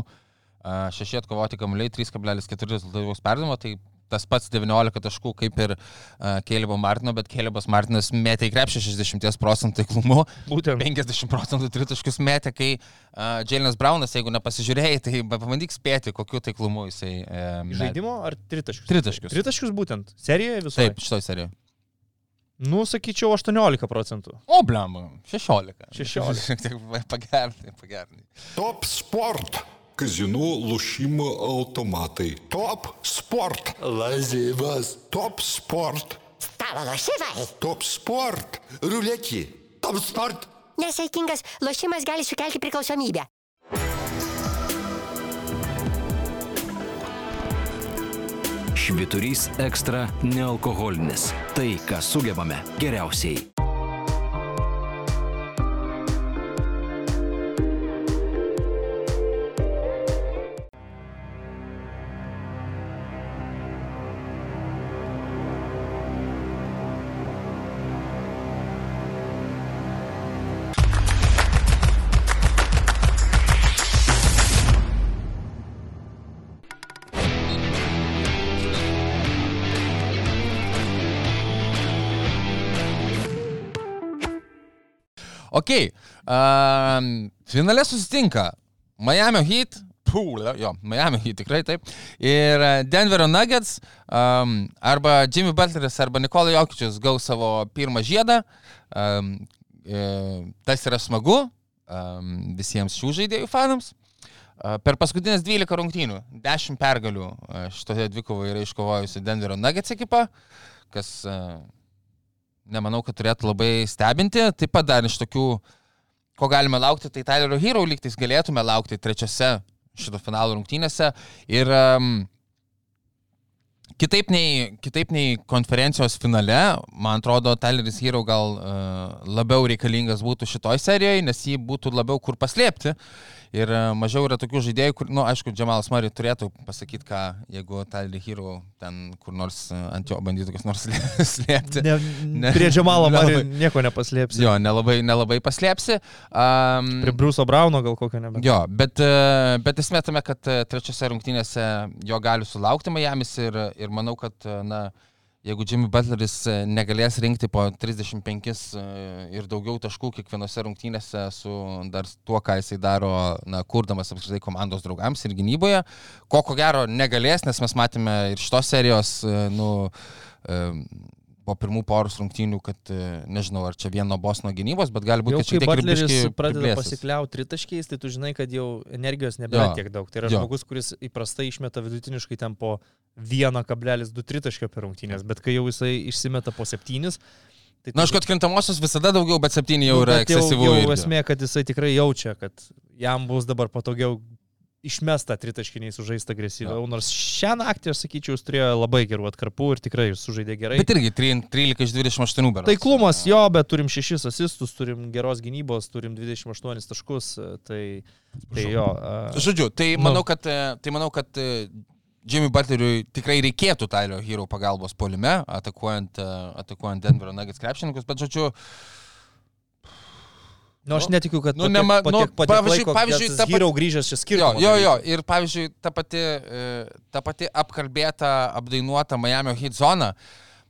šeši atkovoti kamuoliai, trys kablelis keturi rezultatyvaus perdavimo, tai tas pats devyniolika taškų kaip ir uh, Calebo Martino, bet Calebas Martinas metė į krepšį šešiasdešimt procentų taiklumu, būtent penkiasdešimt procentų tritaškius metė, kai uh, Jaylenas Brownas, jeigu nepasižiūrėjai, tai pabandyk spėti, kokiu taiklumu jisai uh, metė. Žaidimo ar tritaškius? Tritaškius. Tritaškius būtent. Serijoje visoje? Taip, šitoj serijoje. Nu, sakyčiau, aštuoniolika procentų. O, blema, šešiolika. šešiolika. Šiek tiek pagernai, pagernai. Top Sport. Казино, лошимо, автоматы. Топ спорт. Лазивас. Топ спорт. Stalo lošimai. Топ спорт. Ruletį. Top sport. Nesaikingas lošimas gali sukelti priklausomybę. Švyturys ekstra nealkoholinis. Tai, ką sugebame geriausiai. Ok, uh, finale susitinka Miami Heat, pū, jo, Miami Heat tikrai taip, ir Denverio Nuggets, um, arba Jimmy Butleris, arba Nikola Jokičius gaus savo pirmą žiedą, um, e, tas yra smagu um, visiems šių žaidėjų fanams. Uh, per paskutinės dvylika rungtynių, dešimt pergalių uh, šitoje dvikovoje yra iškovojusi Denverio Nuggets ekipa, kas... Uh, nemanau, kad turėtų labai stebinti. Taip pat dar iš tokių, ko galime laukti, tai Tylerio Hero lygtais galėtume laukti trečiose šito finalo rungtynėse. Ir um, kitaip, nei, kitaip nei konferencijos finale, man atrodo, Tyleris Hero gal uh, labiau reikalingas būtų šitoj serijoje, nes jį būtų labiau kur paslėpti. Ir mažiau yra tokių žaidėjų, kur, na, nu, aišku, Jamalas Murray turėtų pasakyti, ką, jeigu Tyler Hero ten kur nors ant jo bandytų kas nors slėpti. Ne, ne, prie Jamalo Murray nieko nepaslėpsi. Jo, nelabai, nelabai paslėpsi. Um, prie Bruce'o Browno gal kokio nebent. Jo, bet, bet esmė tame, kad trečiose rungtynėse jo gali sulaukti Miamis ir, ir manau, kad, na, jeigu Jimmy Butleris negalės rinkti po trisdešimt penkis ir daugiau taškų kiekvienose rungtynėse su dar tuo, ką jisai daro, na, kurdamas apskritai komandos draugams ir gynyboje, ko ko gero negalės, nes mes matėme ir šitos serijos, nu, po pirmų poros rungtynių, kad nežinau, ar čia vieno Bostono gynybos, bet gali būti, jau, kad šiek tiek ir biškį Butleris pradeda pasikliauti tritaškiais, tai tu žinai, kad jau energijos nebėra tiek daug. Tai yra jo. Žmogus, kuris įprastai išmeta vidutiniškai ten po vienas kablelis du tritaškio per rungtynės, bet kai jau jisai išsimeta po septynis. Tai na, aš kad krintamosios visada daugiau, bet septyni jau nu, yra ekscesyvų. Jau, jau esmė, kad jisai tikrai jaučia, kad jam bus dabar patogiau išmesta tritaškiniai sužaista agresyviau, nors šią naktį, aš sakyčiau, jis turėjo labai gerų atkarpų ir tikrai sužaidė gerai. Bet irgi trylika iš dvidešimt aštuonių berods. Taiklumas jo, bet turim šešis asistus, turim geros gynybos, turim dvidešimt aštuonis taškus, tai, tai jo. Žodžiu, tai manau, kad, tai manau, kad Jimmy Butleriui tikrai reikėtų Tyler Hero pagalbos puolime, atakuojant, atakuojant Denverio Nuggets krepšininkus, bet žodžiu, nu, aš netikiu, kad nu, nema, po tiek, po tiek pavyzdžiui, laiko, pavyzdžiui, ta Hero grįžęs čia skirtumo. Jo, jo, jo, ir pavyzdžiui, ta pati, ta pati apkalbėta, apdainuota Miami Heat zona,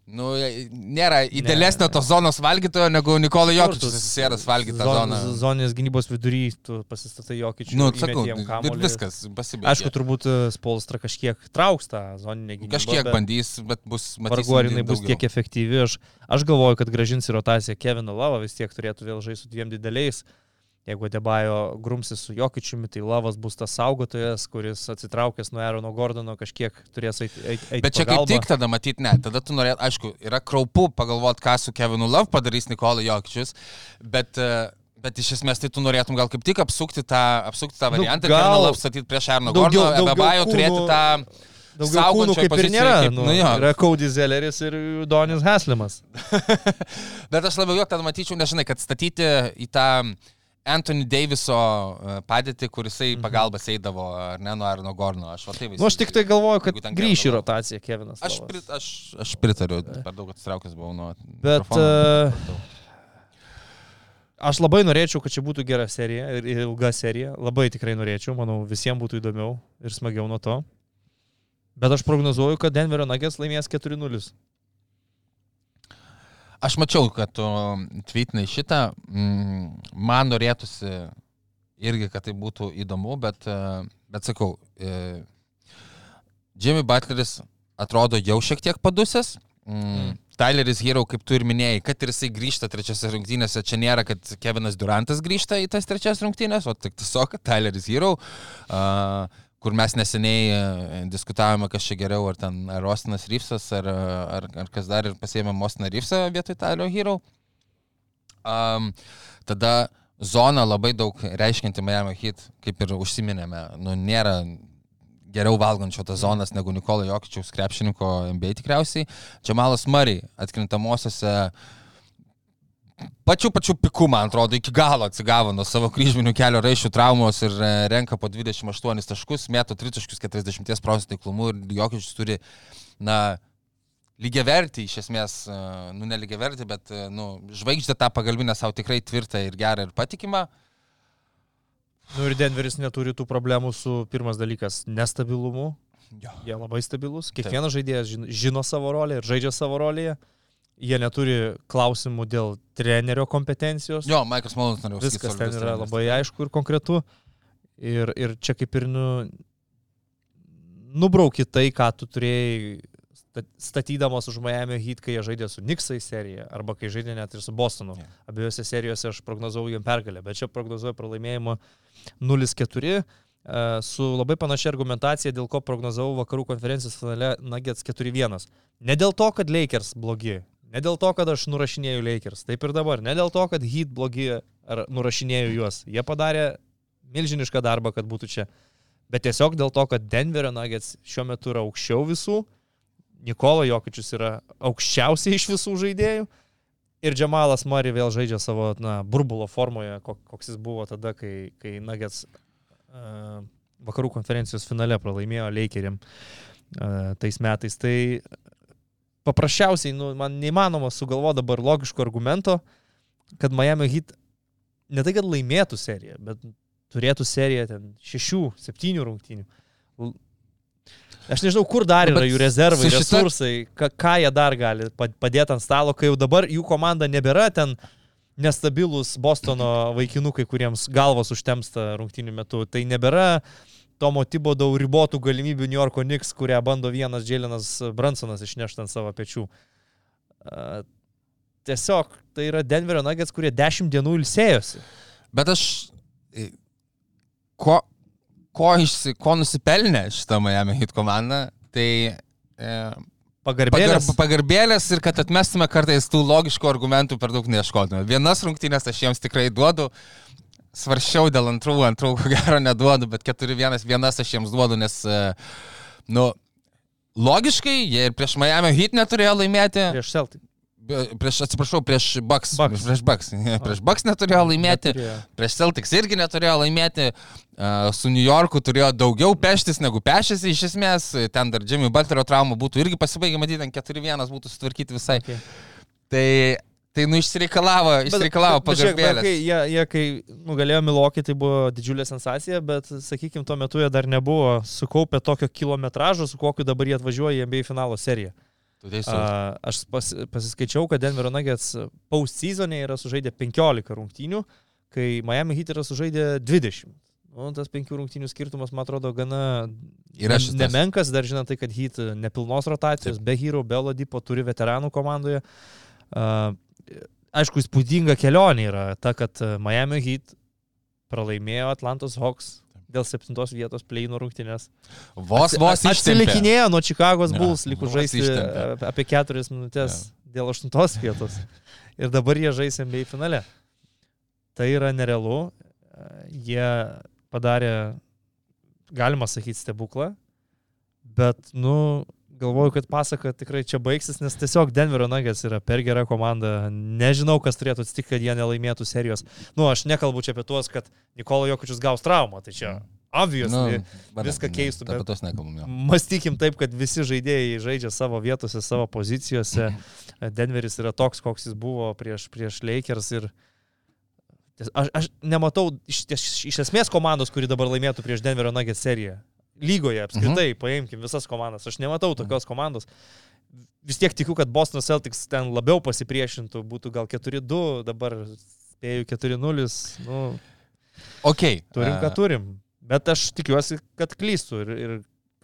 nu, nėra idealesnio tos zonos valgytojo, negu Nikola Jokičius susisėdas valgytą zon, zoną. Zoninės gynybos vidury, tu pasistatai Jokičių, nu, sakau, ir viskas, pasibaigė. Aišku, turbūt Spolstra kažkiek trauks tą zoninę gynybą. Kažkiek bet bandys, bet bus, matysim, vargu ar jinai bus tiek efektyvi. Aš, aš galvoju, kad grąžins į rotaciją Keviną Lavą, vis tiek turėtų vėl žaisti su dviem dideliais. Jeigu Adebayo grumsis su Jokičiumi, tai Lavas bus tas saugotojas, kuris atsitraukęs nuo Aarono Gordono kažkiek turės eiti eit, eit bet čia pagalbą. Kaip tik tada matyti, ne, tada tu norėt, aišku, yra kraupu pagalvoti, ką su Kevinu Love padarys Nikola Jokičius, bet, bet iš esmės tai tu norėtum gal kaip tik apsukti tą, apsukti tą variantą, nu, Kevinu Love statyti prieš Aarono Gordono, Adebayo turėti tą daugiau kūnų kaip ir nėra, kaip, nu, nu, yra Cody Zelleris ir Donis Haslimas. Bet aš labiau jo tada matyčiau, nežinai, kad statyti į tą Anthony Daviso padėtį, kurisai pagalbas eidavo, ar ne, nuo Aarono Gordono. Aš, tai nu, aš tik tai galvoju, kad grįš į rotaciją Kevinas Lavas. Aš, prit, aš, aš pritariu, per daug atsitraukęs buvau nuo bet, mikrofono. Uh, aš labai norėčiau, kad čia būtų gera serija ir ilga serija. Labai tikrai norėčiau, manau, visiems būtų įdomiau ir smagiau nuo to. Bet aš prognozuoju, kad Denverio Nuggets laimės keturi nulis. Aš mačiau, kad tu tweetinai šitą, man norėtųsi irgi, kad tai būtų įdomu, bet, bet sakau, Jimmy Butleris atrodo jau šiek tiek padusęs, mm. Tyleris Hero, kaip tu ir minėjai, kad ir jisai grįžta trečiose rungtynėse, čia nėra, kad Kevinas Durantas grįžta į tas trečias rungtynės, o tik tiesiog Tyleris Hero, uh, kur mes neseniai diskutavome, kas čia geriau, ar ten ar Austinas Reevesas, ar, ar, ar kas dar, ir pasiėmėm Austiną Reevesą vietoj Tyler Hero. Um, tada zona labai daug reiškianti Miami Heat, kaip ir užsiminėme, nu, nėra geriau valgančio tas zonas negu Nikola Jokičiaus krepšininko N B A tikriausiai. Jamalas Murray atkrintamosiose pačiu pačiu piku, man atrodo, iki galo atsigavo nuo savo kryžminių kelio raiščių traumos ir renka po dvidešimt aštuonis taškus, mėto tritaškius keturiasdešimt procentų taiklumu ir Jokičius turi, na, lygiavertį, iš esmės, nu, ne lygiavertį, bet, nu, žvaigždę tą pagalbinę savo tikrai tvirtą ir gerą ir patikimą. Nu ir Denveris neturi tų problemų su, pirmas dalykas, nestabilumu. Jo. Jie labai stabilus. Kiekvienas Taip. žaidėjas žino, žino savo rolę ir žaidžia savo rolėje. Jie neturi klausimų dėl trenerio kompetencijos. Jo, Maikas Malonas norėjau sakyti. Viskas ten yra labai aišku ir konkretu. Ir, ir čia kaip ir nu, nubrauki tai, ką tu turėjai statydamas už Miami Heat, kai jie žaidė su Knicksai serija, arba kai žaidė net ir su Bostonu. Yeah. Abiejose serijose aš prognozavau jam pergalę, bet čia prognozuoju pralaimėjimą nulis keturi. Su labai panašia argumentacija, dėl ko prognozavau vakarų konferencijos finale Nuggets keturi vienas. Ne dėl to, kad Lakers blogi. Ne dėl to, kad aš nurašinėjau Lakers, taip ir dabar. Ne dėl to, kad Heat blogi ar nurašinėjau juos. Jie padarė milžinišką darbą, kad būtų čia. Bet tiesiog dėl to, kad Denverio Nuggets šiuo metu yra aukščiau visų, Nikola Jokičius yra aukščiausiai iš visų žaidėjų ir Jamalas Murray vėl žaidžia savo, na, burbulo formoje, koks jis buvo tada, kai, kai Nuggets vakarų konferencijos finale pralaimėjo Lakeriam tais metais. Tai paprasčiausiai, nu, man neįmanoma sugalvoti dabar logiško argumento, kad Miami Heat ne tai, kad laimėtų seriją, bet turėtų seriją ten šešių, septynių rungtynių. Aš nežinau, kur dar yra jų rezervai, šita... resursai, ką, ką jie dar gali padėti ant stalo, kai jau dabar jų komanda nebėra ten nestabilus Bostono vaikinukai, kuriems galvos užtemsta rungtynių metu. Tai nebėra Tomo Thibodeau ribotų galimybių New Yorko Knicks, kurią bando vienas Jalenas Brunsonas išnešti ant savo pečių. Uh, tiesiog tai yra Denverio Nuggets, kurie dešimt dienų ilsėjosi. Bet aš... Ko... Ko, išsi, ko nusipelnė šitą Miami Heat komandą, tai e, pagarbėlės. Pagar, pagarbėlės ir kad atmestume kartais tų logiškų argumentų per daug neieškotume. Vienas rungtynės aš jiems tikrai duodu, svaršiau dėl antrų, antrų ko gero neduodu, bet keturi vienas, vienas aš jiems duodu, nes, e, nu, logiškai jie ir prieš Miami Heat neturėjo laimėti. Prieš Celtic. Prieš, atsiprašau, prieš Bucks. Bucks. Prieš Bucks. Prieš Bucks neturėjo laimėti. Neturėjo. Prieš Celtics irgi neturėjo laimėti. Uh, su New Yorku turėjo daugiau peštis negu pešėsi iš esmės. Ten dar Jimmy Butlerio trauma būtų irgi pasibaigę, matyti, ten keturi vienas būtų sutvarkyti visai. Okay. Tai, tai nu, išsireikalavo, išsireikalavo pagarbėlės. Jie, jie, kai nugalėjo Milwaukee, tai buvo didžiulė sensacija, bet, sakykime, tuo metu jie dar nebuvo sukaupę tokio kilometražo, su kokiu dabar jie atvažiuoja į N B A finalo seriją. Uh, aš pas, pasiskaičiau, kad Denverio Nuggets post-seasonė yra sužaidę penkiolika rungtynių, kai Miami Heat yra sužaidę dvidešimt. Nu, tas penkių rungtynių skirtumas, man atrodo, gana ne, nemenkas, dar žinant tai, kad Heat nepilnos rotacijos, Taip. be Hero, be Oladipo, turi veteranų komandoje. Uh, aišku, įspūdinga kelionė yra ta, kad Miami Heat pralaimėjo Atlantos Hawks dėl septintos vietos play-in rungtynės. Vos, vos ištempė. Atsilikinėjo nuo Chicago's Bulls, ja, likus žaisti ištempė. apie keturias minutės ja. dėl aštuntos vietos. Ir dabar jie žais N B A finale. Tai yra nerealu. Jie padarė, galima sakyti, stebuklą, bet, nu, galvoju, kad pasaka tikrai čia baigsis, nes tiesiog Denverio Nuggets yra per gera komanda. Nežinau, kas turėtų atsitikti, kad jie nelaimėtų serijos. Nu, aš nekalbu čia apie tuos, kad Nikola Jokičius gaus traumą, tai čia obviously nu, viską keistų. Ne, apie tos nekalbam, jo. Mąstykim taip, kad visi žaidėjai žaidžia savo vietose, savo pozicijose. Denveris yra toks, koks jis buvo prieš, prieš Lakers ir aš, aš nematau iš, iš esmės komandos, kuri dabar laimėtų prieš Denverio Nuggets seriją. Lygoje apskritai, mhm. paimkim visas komandas. Aš nematau tokios komandos. Vis tiek tikiu, kad Boston Celtics ten labiau pasipriešintų, būtų gal keturi du, dabar spėju keturi nulis. Nu, okay. Turim, ką turim. Bet aš tikiuosi, kad klystų ir, ir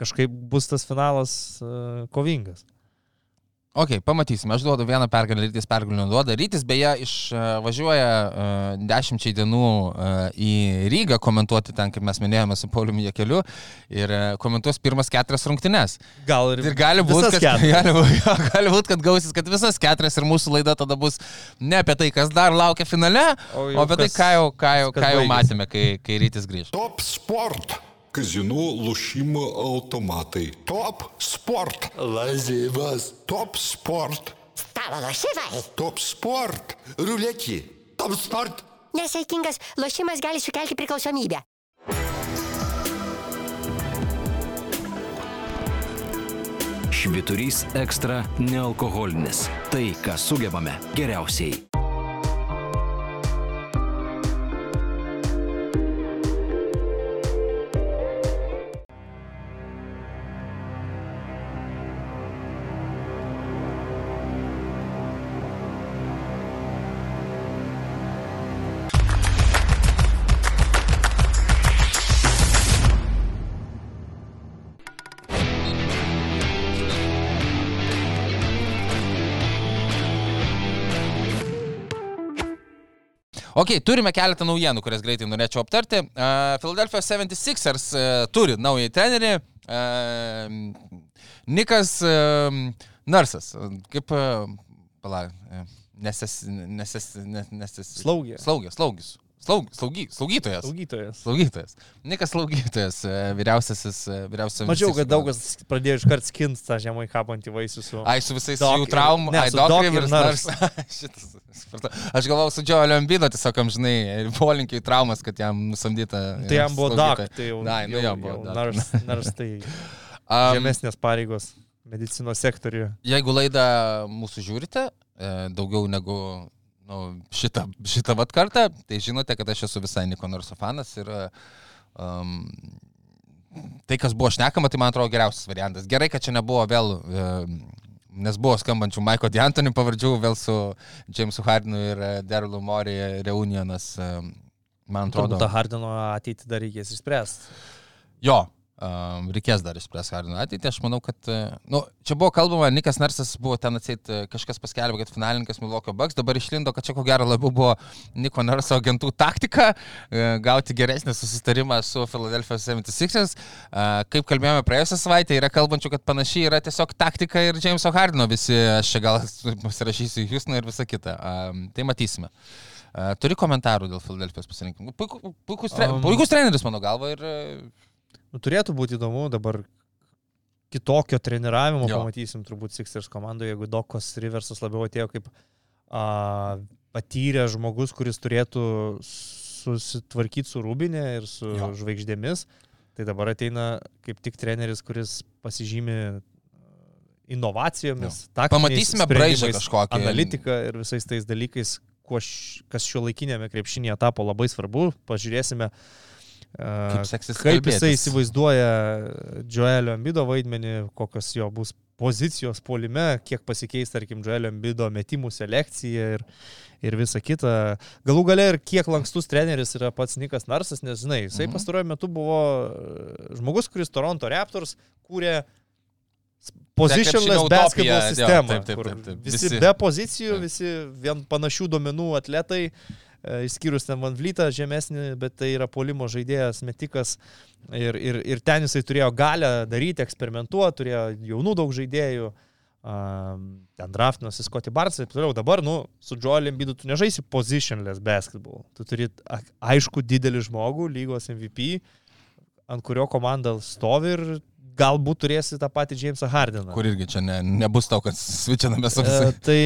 kažkaip bus tas finalas uh, kovingas. Ok, pamatysime. Aš duodu vieną pergalę, Rytis pergalę duoda. Rytis beje išvažiuoja uh, dešimčiai dienų uh, į Rygą komentuoti ten, kaip mes minėjome, su Pauliumi Jakeliu ir uh, komentuos pirmas keturias rungtynes. Gal ir, ir gali būt, kad, gali, gali būt, kad gausis, kad visas keturias ir mūsų laida tada bus ne apie tai, kas dar laukia finale, o, o apie kas, tai, ką jau, ką jau, ką jau matėme, kai, kai Rytis grįž. Top Sport. Казино, лошимо, автоматы. Топ спорт. Лазивас. Топ спорт. Stalo lošimai. Топ спорт. Ruletį. Top sport. Nesaikingas lošimas gali sukelti priklausomybę. Švyturys ekstra nealkoholinis. Tai, ką sugebame geriausiai. Ok, turime keletą naujienų, kurias greitai norėčiau aptarti. Uh, Philadelphia seventy-sixers uh, turi naują trenerį. Uh, Nikas uh, Nursas. Kaip, uh, pala, uh, neses, neses, neses, slaugė. Slaugė, slaugis. Slaug, slaugy, slaugytojas. Slaugytojas. Slaugytojas. Nikas slaugytojas, vyriausiasis, vyriausiasis. Mačiau, kad daugas pradėjo iškart skint tą žemai kabantį vaisių su... Ai, su visais Doc jų ir- traumų. ne, Ai, su Doc Doc Rivers ir Nurse. Nurse. Šitas, supratau. Aš galvau su Joelio Embiido tiesiog, žinai, polinkiai traumas, kad jam nusamdyta. Tai jam buvo Doc, tai jau, Na, nu, jau, jam buvo jau Doc. nars, nars tai Um, žemesnės pareigos medicinos sektoriuje. Jeigu laidą mūsų žiūrite, e, daugiau negu nu, šitą, šitą vat kartą, tai žinote, kad aš esu visai Niko Narso fanas ir um, tai, kas buvo šnekama, tai man atrodo geriausias variantas. Gerai, kad čia nebuvo vėl, e, nes buvo skambančių Maiko D'Antoni pavardžių, vėl su Jamesu Hardenu ir Darylu Morey reunionas, e, man atrodo. Turbūt tą Hardeno ateitį dar reikės išspręsti. Jo. Um, reikės dar išspręs Hardeno ateitį. Aš manau, kad... Uh, nu, čia buvo kalbama, Nikas Narsas buvo ten atseit, uh, kažkas paskelbė, kad finalininkas Milwaukee Bucks, dabar išlindo, kad čia ko gero labiau buvo Niko Narso agentų taktika uh, gauti geresnį susitarimą su Philadelphia seventy-sixers. Uh, kaip kalbėjome praėjusią savaitę, yra kalbančių, kad panašiai yra tiesiog taktika ir Jameso Hardeno visi, aš čia gal pasirašysiu į Houstoną ir visą kitą. Uh, tai matysime. Uh, turi komentarų dėl Philadelphia's pasirinkimų. Puikus, puikus, tre um, puikus treneris, mano galva, ir... Uh, Nu, turėtų būti įdomu, dabar kitokio treniravimo Jo. pamatysim turbūt Sixers komandoje, jeigu Dokas Riversas labiau atėjo kaip a, patyręs žmogus, kuris turėtų susitvarkyti su Rubinė ir su Jo. žvaigždėmis, tai dabar ateina kaip tik treneris, kuris pasižymi inovacijomis, taktiniais Pamatysime braižą sprendimais, kažkokį. analitiką ir visais tais dalykais, kuo š, kas šiuolaikinėme krepšinėje tapo labai svarbu. Pažiūrėsime, Kaip seksis kaip kalbėtis. jisai įsivaizduoja Joelio Embiido vaidmenį, kokios jo bus pozicijos puolime, kiek pasikeis, tarkim, Joelio Embiido metimų selekcija ir, ir visa kita. Galų gale ir kiek lankstus treneris yra pats Nikas Narsas, nes, žinai, jisai Mhm. pastaruoju metu buvo žmogus, kuris Toronto Raptors kūrė positionless krepšinio basketball utopiją, jo, sistemą, taip, taip, kur taip, taip. visi, Visi- be pozicijų, taip. visi vien panašių duomenų atletai, e, išskyrus ten Van Vlietą žemesnį, bet tai yra puolimo žaidėjas, metikas ir, ir, ir ten jisai turėjo galę daryti, eksperimentuoti, turėjo jaunų daug žaidėjų, um, ten draftinosi Scottie Barnes ir toliau. Dabar, nu, su Joel Embiidu tu nežaisi positionless basketball, tu turi a- aišku didelį žmogų, lygos M V P, ant kurio komanda stovi ir galbūt turėsi tą patį Jamesą Hardeną. Kur irgi čia ne, nebus tau, kad svičianame su E, visai. tai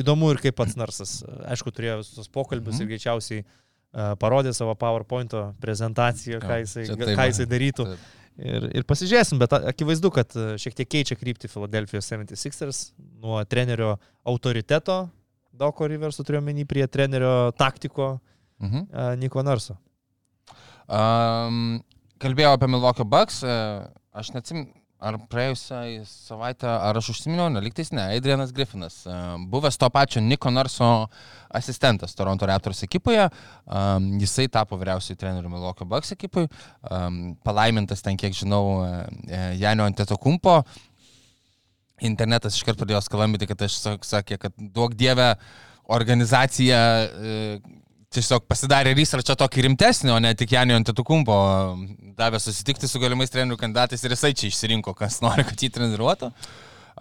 įdomu ir kaip pats Narsas. Aišku, turėjo visus tos pokalbius Mhm. ir greičiausiai e, parodė savo PowerPoint'o prezentaciją, ką Jo, jisai, čia ką taip, jisai darytų. taip. Ir, ir pasižiūrėsim, bet a- akivaizdu, kad e, šiek tiek keičia kryptį Philadelphia seventy-sixers nuo trenerio autoriteto, Doko Riverso turiu menį, prie trenerio taktiko Mhm. e, Niko Narso. Um, kalbėjau apie Milwaukee Bucks, e, aš neatsim, ar praėjusią savaitę, ar aš užsiminiau, neliktais ne, Adrianas Griffinas, e, buvęs to pačio Niko Narso asistentas Toronto Raptors ekipoje, um, jisai tapo vyriausiai treneriu Milwaukee Bucks ekipai, um, palaimintas ten, kiek žinau, e, Janio Antetokounmpo. Internetas iškart pradėjo skalambyti, kad aš sak- sakė, kad duok dievę organizacija e, tiesiog pasidarė researchą tokį rimtesnį, o ne tik Janio Antetokounmpo davė susitikti su galimais trenerių kandidatais ir jisai čia išsirinko, kas nori, kad jį treniruotų.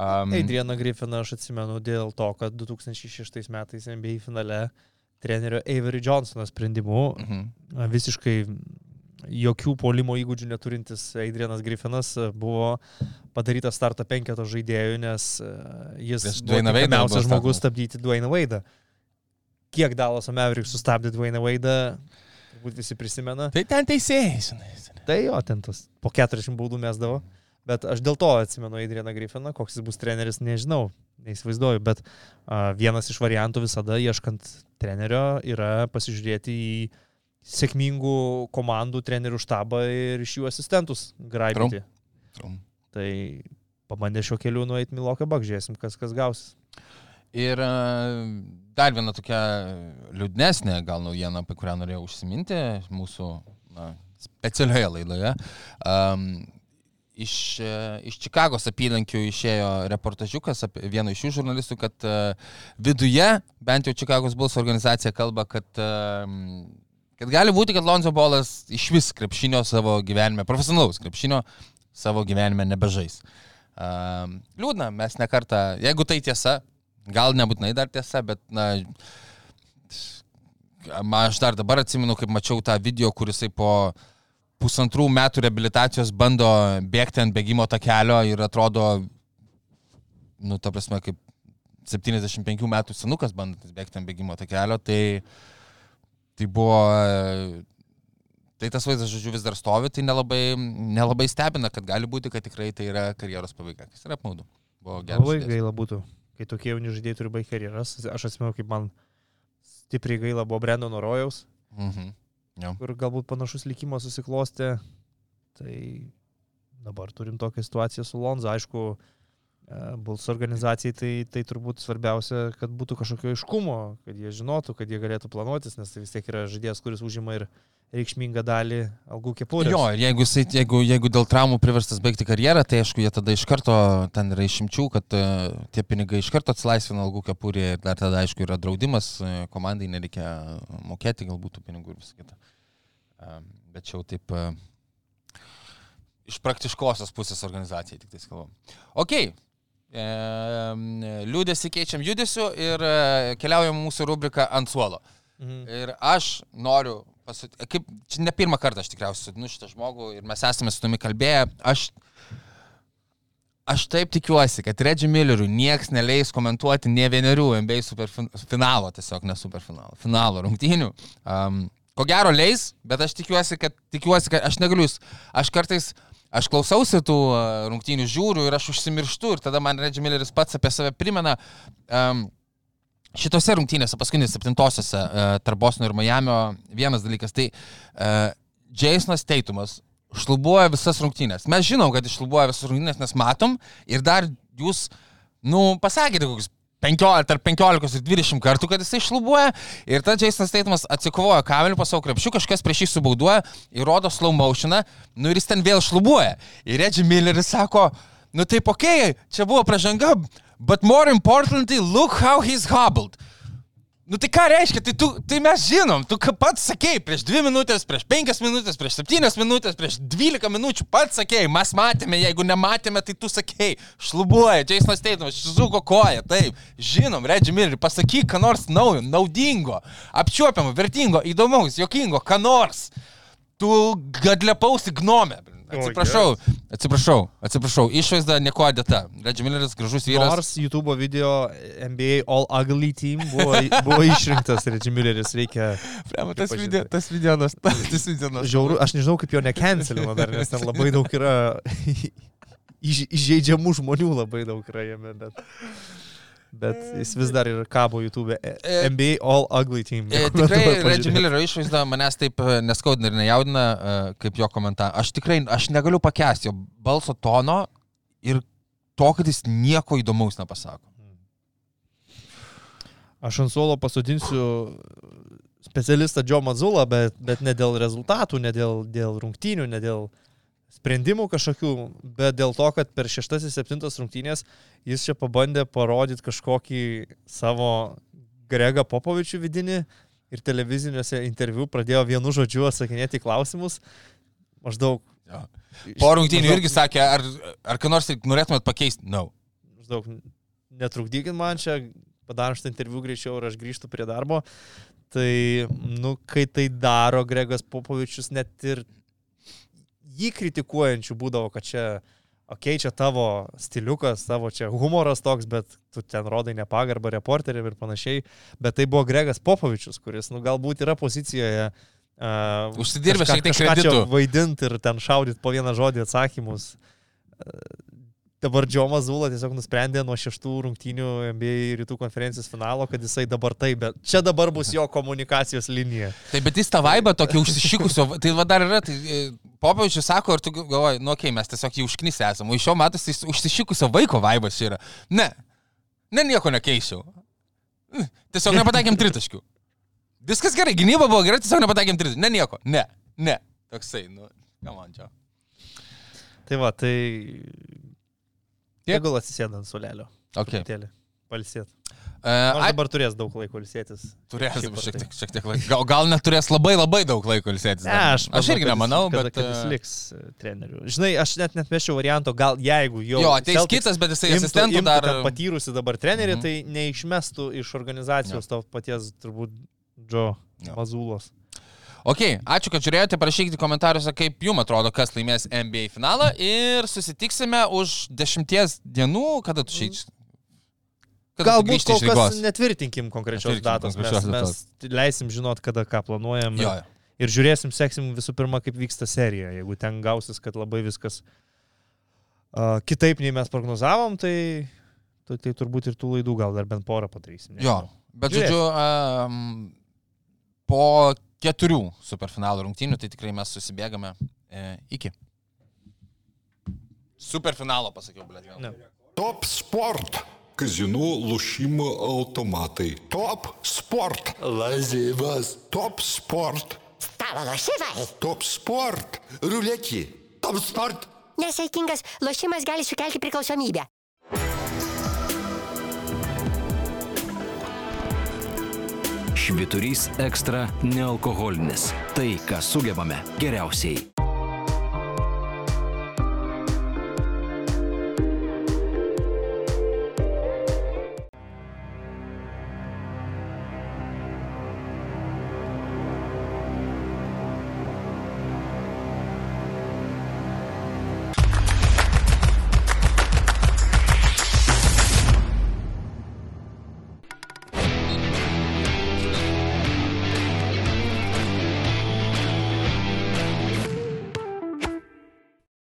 Um, Adrianą Griffiną aš atsimenu dėl to, kad du tūkstančiai šeštais metais N B A finale trenerio Avery Johnsono sprendimu mhm. visiškai jokių puolimo įgūdžių neturintis Adrianas Griffinas buvo padarytas starto penketo žaidėjų, nes e, jis Prieš buvo Dwayną Wade'ą tinkamiausias buvo žmogus statomas. stabdyti Dwayną Wade'ą. Kiek Dallas Mavericks sustabdė Dwayną Wade'ą, turbūt visi prisimena. Tai ten teisėjai, žinai. Tai jo, ten tas po keturiasdešimt baudų mesdavo. Bet aš dėl to atsimenu Adrianą Griffiną, koks jis bus treneris, nežinau, neįsivaizduoju, bet a, vienas iš variantų visada ieškant trenerio yra pasižiūrėti į sėkmingų komandų trenerių štabą ir iš jų asistentus graibyti. Trum. Tai pabandė šio keliu nueiti Milwaukee Bucks, žiūrėsim, kas kas gausis. Ir e, dar viena tokia liūdnesnė gal naujiena, apie kurią norėjau užsiminti mūsų na, specialioje laidoje. Um, iš, e, iš Čikagos apylinkių išėjo reportažiukas apie vieno iš šių žurnalistų, kad e, viduje, bent jau Čikagos Bulls organizacija kalba, kad, e, kad gali būti, kad Lonzo Ballas iš vis krepšinio savo gyvenime, profesionalaus krepšinio savo gyvenime nebežais. Um, liūdna, mes nekartą, jeigu tai tiesa, gal nebūtinai dar tiesa, bet na, aš dar dabar atsimenu, kaip mačiau tą video, kuris po pusantrų metų reabilitacijos bando bėgti ant bėgimo takelio ir atrodo, nu, ta prasme, kaip septyniasdešimt penkių metų senukas bandantis bėgti ant bėgimo takelio, tai, tai buvo, tai tas vaizdas, žodžiu, vis dar stovi, tai nelabai, nelabai stebina, kad gali būti, kad tikrai tai yra karjeros pabaiga, kas yra apmaudu. Labai gaila būtų, kai tokie jauni žaidėjai turi baigti karjeras. Aš atsimenu, kaip man stipriai gaila buvo Brendono Rojaus, mhm. Ja. Kur galbūt panašus likimas susiklostė. Tai dabar turim tokią situaciją su Lonza. Aišku, Bulls organizacijai tai, tai turbūt svarbiausia, kad būtų kažkokio aiškumo, kad jie žinotų, kad jie galėtų planuotis, nes tai vis tiek yra žaidėjas, kuris užima ir reikšmingą dalį algų kepurės. Jo, ir jeigu, jeigu, jeigu dėl traumų priverstas baigti karjerą, tai aišku, jie tada iš karto, ten yra išimčių, kad uh, tie pinigai iš karto atsilaisvina algų kepurė ir dar tada, aišku, yra draudimas, uh, komandai nereikia mokėti galbūt tų pinigų ir visą kitą. Uh, bet čia jau taip uh, iš praktiškosios pusės organizacijai tik tai kalbam. Ok, e, liūdėsi keičiam judesiu ir e, keliaujam mūsų rubriką ant suolo. Mhm. Ir aš noriu Pasut... Kaip, čia ne pirmą kartą aš tikriausiai sutinu šitą žmogų ir mes esame su tumi kalbėję. Aš, aš taip tikiuosi, kad Reggie Milleriui nieks neleis komentuoti ne vienerių N B A superfinalo, tiesiog ne superfinalo, finalo rungtynių. Um, ko gero leis, bet aš tikiuosi, kad, tikiuosi, kad aš negaliu, aš kartais, aš klausausi tų rungtynių, žiūriu ir aš užsimirštu ir tada man Reggie Milleris pats apie save primena. Um, Šitose rungtynėse, paskutinėse septintosiose uh, tarp Bostono ir Miamio vienas dalykas, tai uh, Jasonas Tatumas šlubuoja visas rungtynės. Mes žinom, kad iššlubuoja visas rungtynės, nes matom ir dar jūs, nu, pasakėte kokius penkiolika, tarp penkiolikos ir dvidešimt kartų, kad jisai šlubuoja ir tada Jasonas Tatumas atsikovoja kamelį po savo krepšių, kažkas prieš jį subauduoja, įrodo slow motioną, nu ir jis ten vėl šlubuoja. Ir Reggie Milleris sako, nu taip okei, okay, čia buvo pražanga, but more importantly, look how he's hobbled. Nu tai ką reiškia, tai, tu, tai mes žinom, tu pats sakei prieš dvi minutės, prieš penkias minutės, prieš septynias minutės, prieš dvylika minučių, pats sakei, mes matėme, jeigu nematėme, tai tu sakei, šlubuoja, Jasonas Tatumas, suko koją, taip, žinom, Reggie Milleri, pasakyk, ką nors naujo, naudingo, apčiuopiamo, vertingo, įdomaus, jokingo, ką nors, tu gadlepausi gnome. Atsiprašau, atsiprašau, atsiprašau, išvaizda nieko dėta. Reggie Milleris, gražus vyras. Nors YouTube video N B A All Ugly Team buvo, buvo išrinktas Reggie Milleris, reikia... Prema, tas video, tas video, tas, tas video. Žiauru, aš nežinau, kaip jo necancelino dar, nes ten labai daug yra įžeidžiamų žmonių, labai daug yra jame, bet... Bet jis vis dar ir kabo YouTube N B A All Ugly Team. E, tikrai Reggie Millerio išvaizda manęs taip neskaudina ir nejaudina, kaip jo komentarą. Aš tikrai, aš negaliu pakęsti jo balso tono ir to, kad jis nieko įdomaus nepasako. Aš ant suolo pasodinsiu specialistą Joe Mazzullą, bet, bet ne dėl rezultatų, ne dėl, dėl rungtynių, ne dėl sprendimų kažkokių, bet dėl to, kad per šeštas ir septintas rungtynės jis čia pabandė parodyti kažkokį savo Gregą Popovičių vidinį ir televiziniuose interviu pradėjo vienu žodžiu atsakinėti klausimus. Maždaug... Ja. Po rungtynių maždaug, irgi sakė, ar, ar ką nors norėtumėt pakeisti? No. Maždaug, netrukdykit man čia, padarom šitą interviu greičiau ir aš grįžtu prie darbo. Tai, nu, kai tai daro Gregas Popovičius, net ir jį kritikuojančių būdavo, kad čia, okei, okay, čia tavo stiliukas, tavo čia humoras toks, bet tu ten rodai nepagarbą reporteriam ir panašiai. Bet tai buvo Gregas Popovičius, kuris, nu, galbūt yra pozicijoje uh, užsidirbę šiek tiek kažką kreditų. Čia vaidinti ir ten šaudyti po vieną žodį atsakymus. Uh, dabar Joe Mazzulla tiesiog nusprendė nuo šeštų rungtynių N B A rytų konferencijos finalo, kad jisai dabar taip, bet čia dabar bus jo komunikacijos linija. Taip, bet jis tą vaibą tokį užsišikusio, tai va dar yra, tai Popovičius sako, ir tu galvoji, nu okei, okay, mes tiesiog jį užknisę esam, o iš jo matos tai užsišikusio vaiko vaibas yra. Ne, ne nieko nekeičiau. Tiesiog nepataikėm tritaškių. Viskas gerai, gynyba buvo gerai, tiesiog nepataikėm tritaškių. Ne nieko, ne, ne. Toksai, nu, ką man čia. Tai va, tai... Tegul atsisėda ant solelio. Okay. Palsėt. Uh, Nors dabar turės daug laiko ilsėtis. Turės šiek tiek, šiek tiek laiko. Gal, gal neturės labai labai daug laiko ilsėtis. Ne, aš, aš irgi nemanau, kad, bet... Kad jis liks treneriu. Žinai, aš net net meščiau varianto, gal jeigu jau... Jo, ateis kitas, bet jisai asistentų dar... patyrusi dabar trenerį, mm-hmm. tai neišmestų iš organizacijos ja. to paties, turbūt, Joe Mazūlos. Ok, ačiū, kad žiūrėjote, parašykite komentariuose, kaip jums atrodo, kas laimės N B A finalą ir susitiksime už dešimties dienų, kada tu šiais... Galbūt kol kas netvirtinkim konkrečios Netvirtinkim datos, konkrečios mes, datos. mes leisim žinot, kada ką planuojam Jo, ir, jo. ir žiūrėsim, seksim visų pirma, kaip vyksta serija. Jeigu ten gausis, kad labai viskas uh, kitaip nei mes prognozavom, tai, tai, tai turbūt ir tų laidų gal dar bent porą padarysim. Jo, bet Žiūrėsim. žodžiu, um, po keturių superfinalų rungtynių, tai tikrai mes susibėgame e, iki. Superfinalo pasakiau, blėt. Ne. Top sport. Казино, лошимо, автоматы. Топ спорт. Лазивас. Топ спорт. Stalo lošimai. Топ спорт. Рулетки. Топ спорт. Nesaikingas lošimas gali sukelti priklausomybę. Švyturys ekstra nealkoholinis. Tai, ką sugebame geriausiai.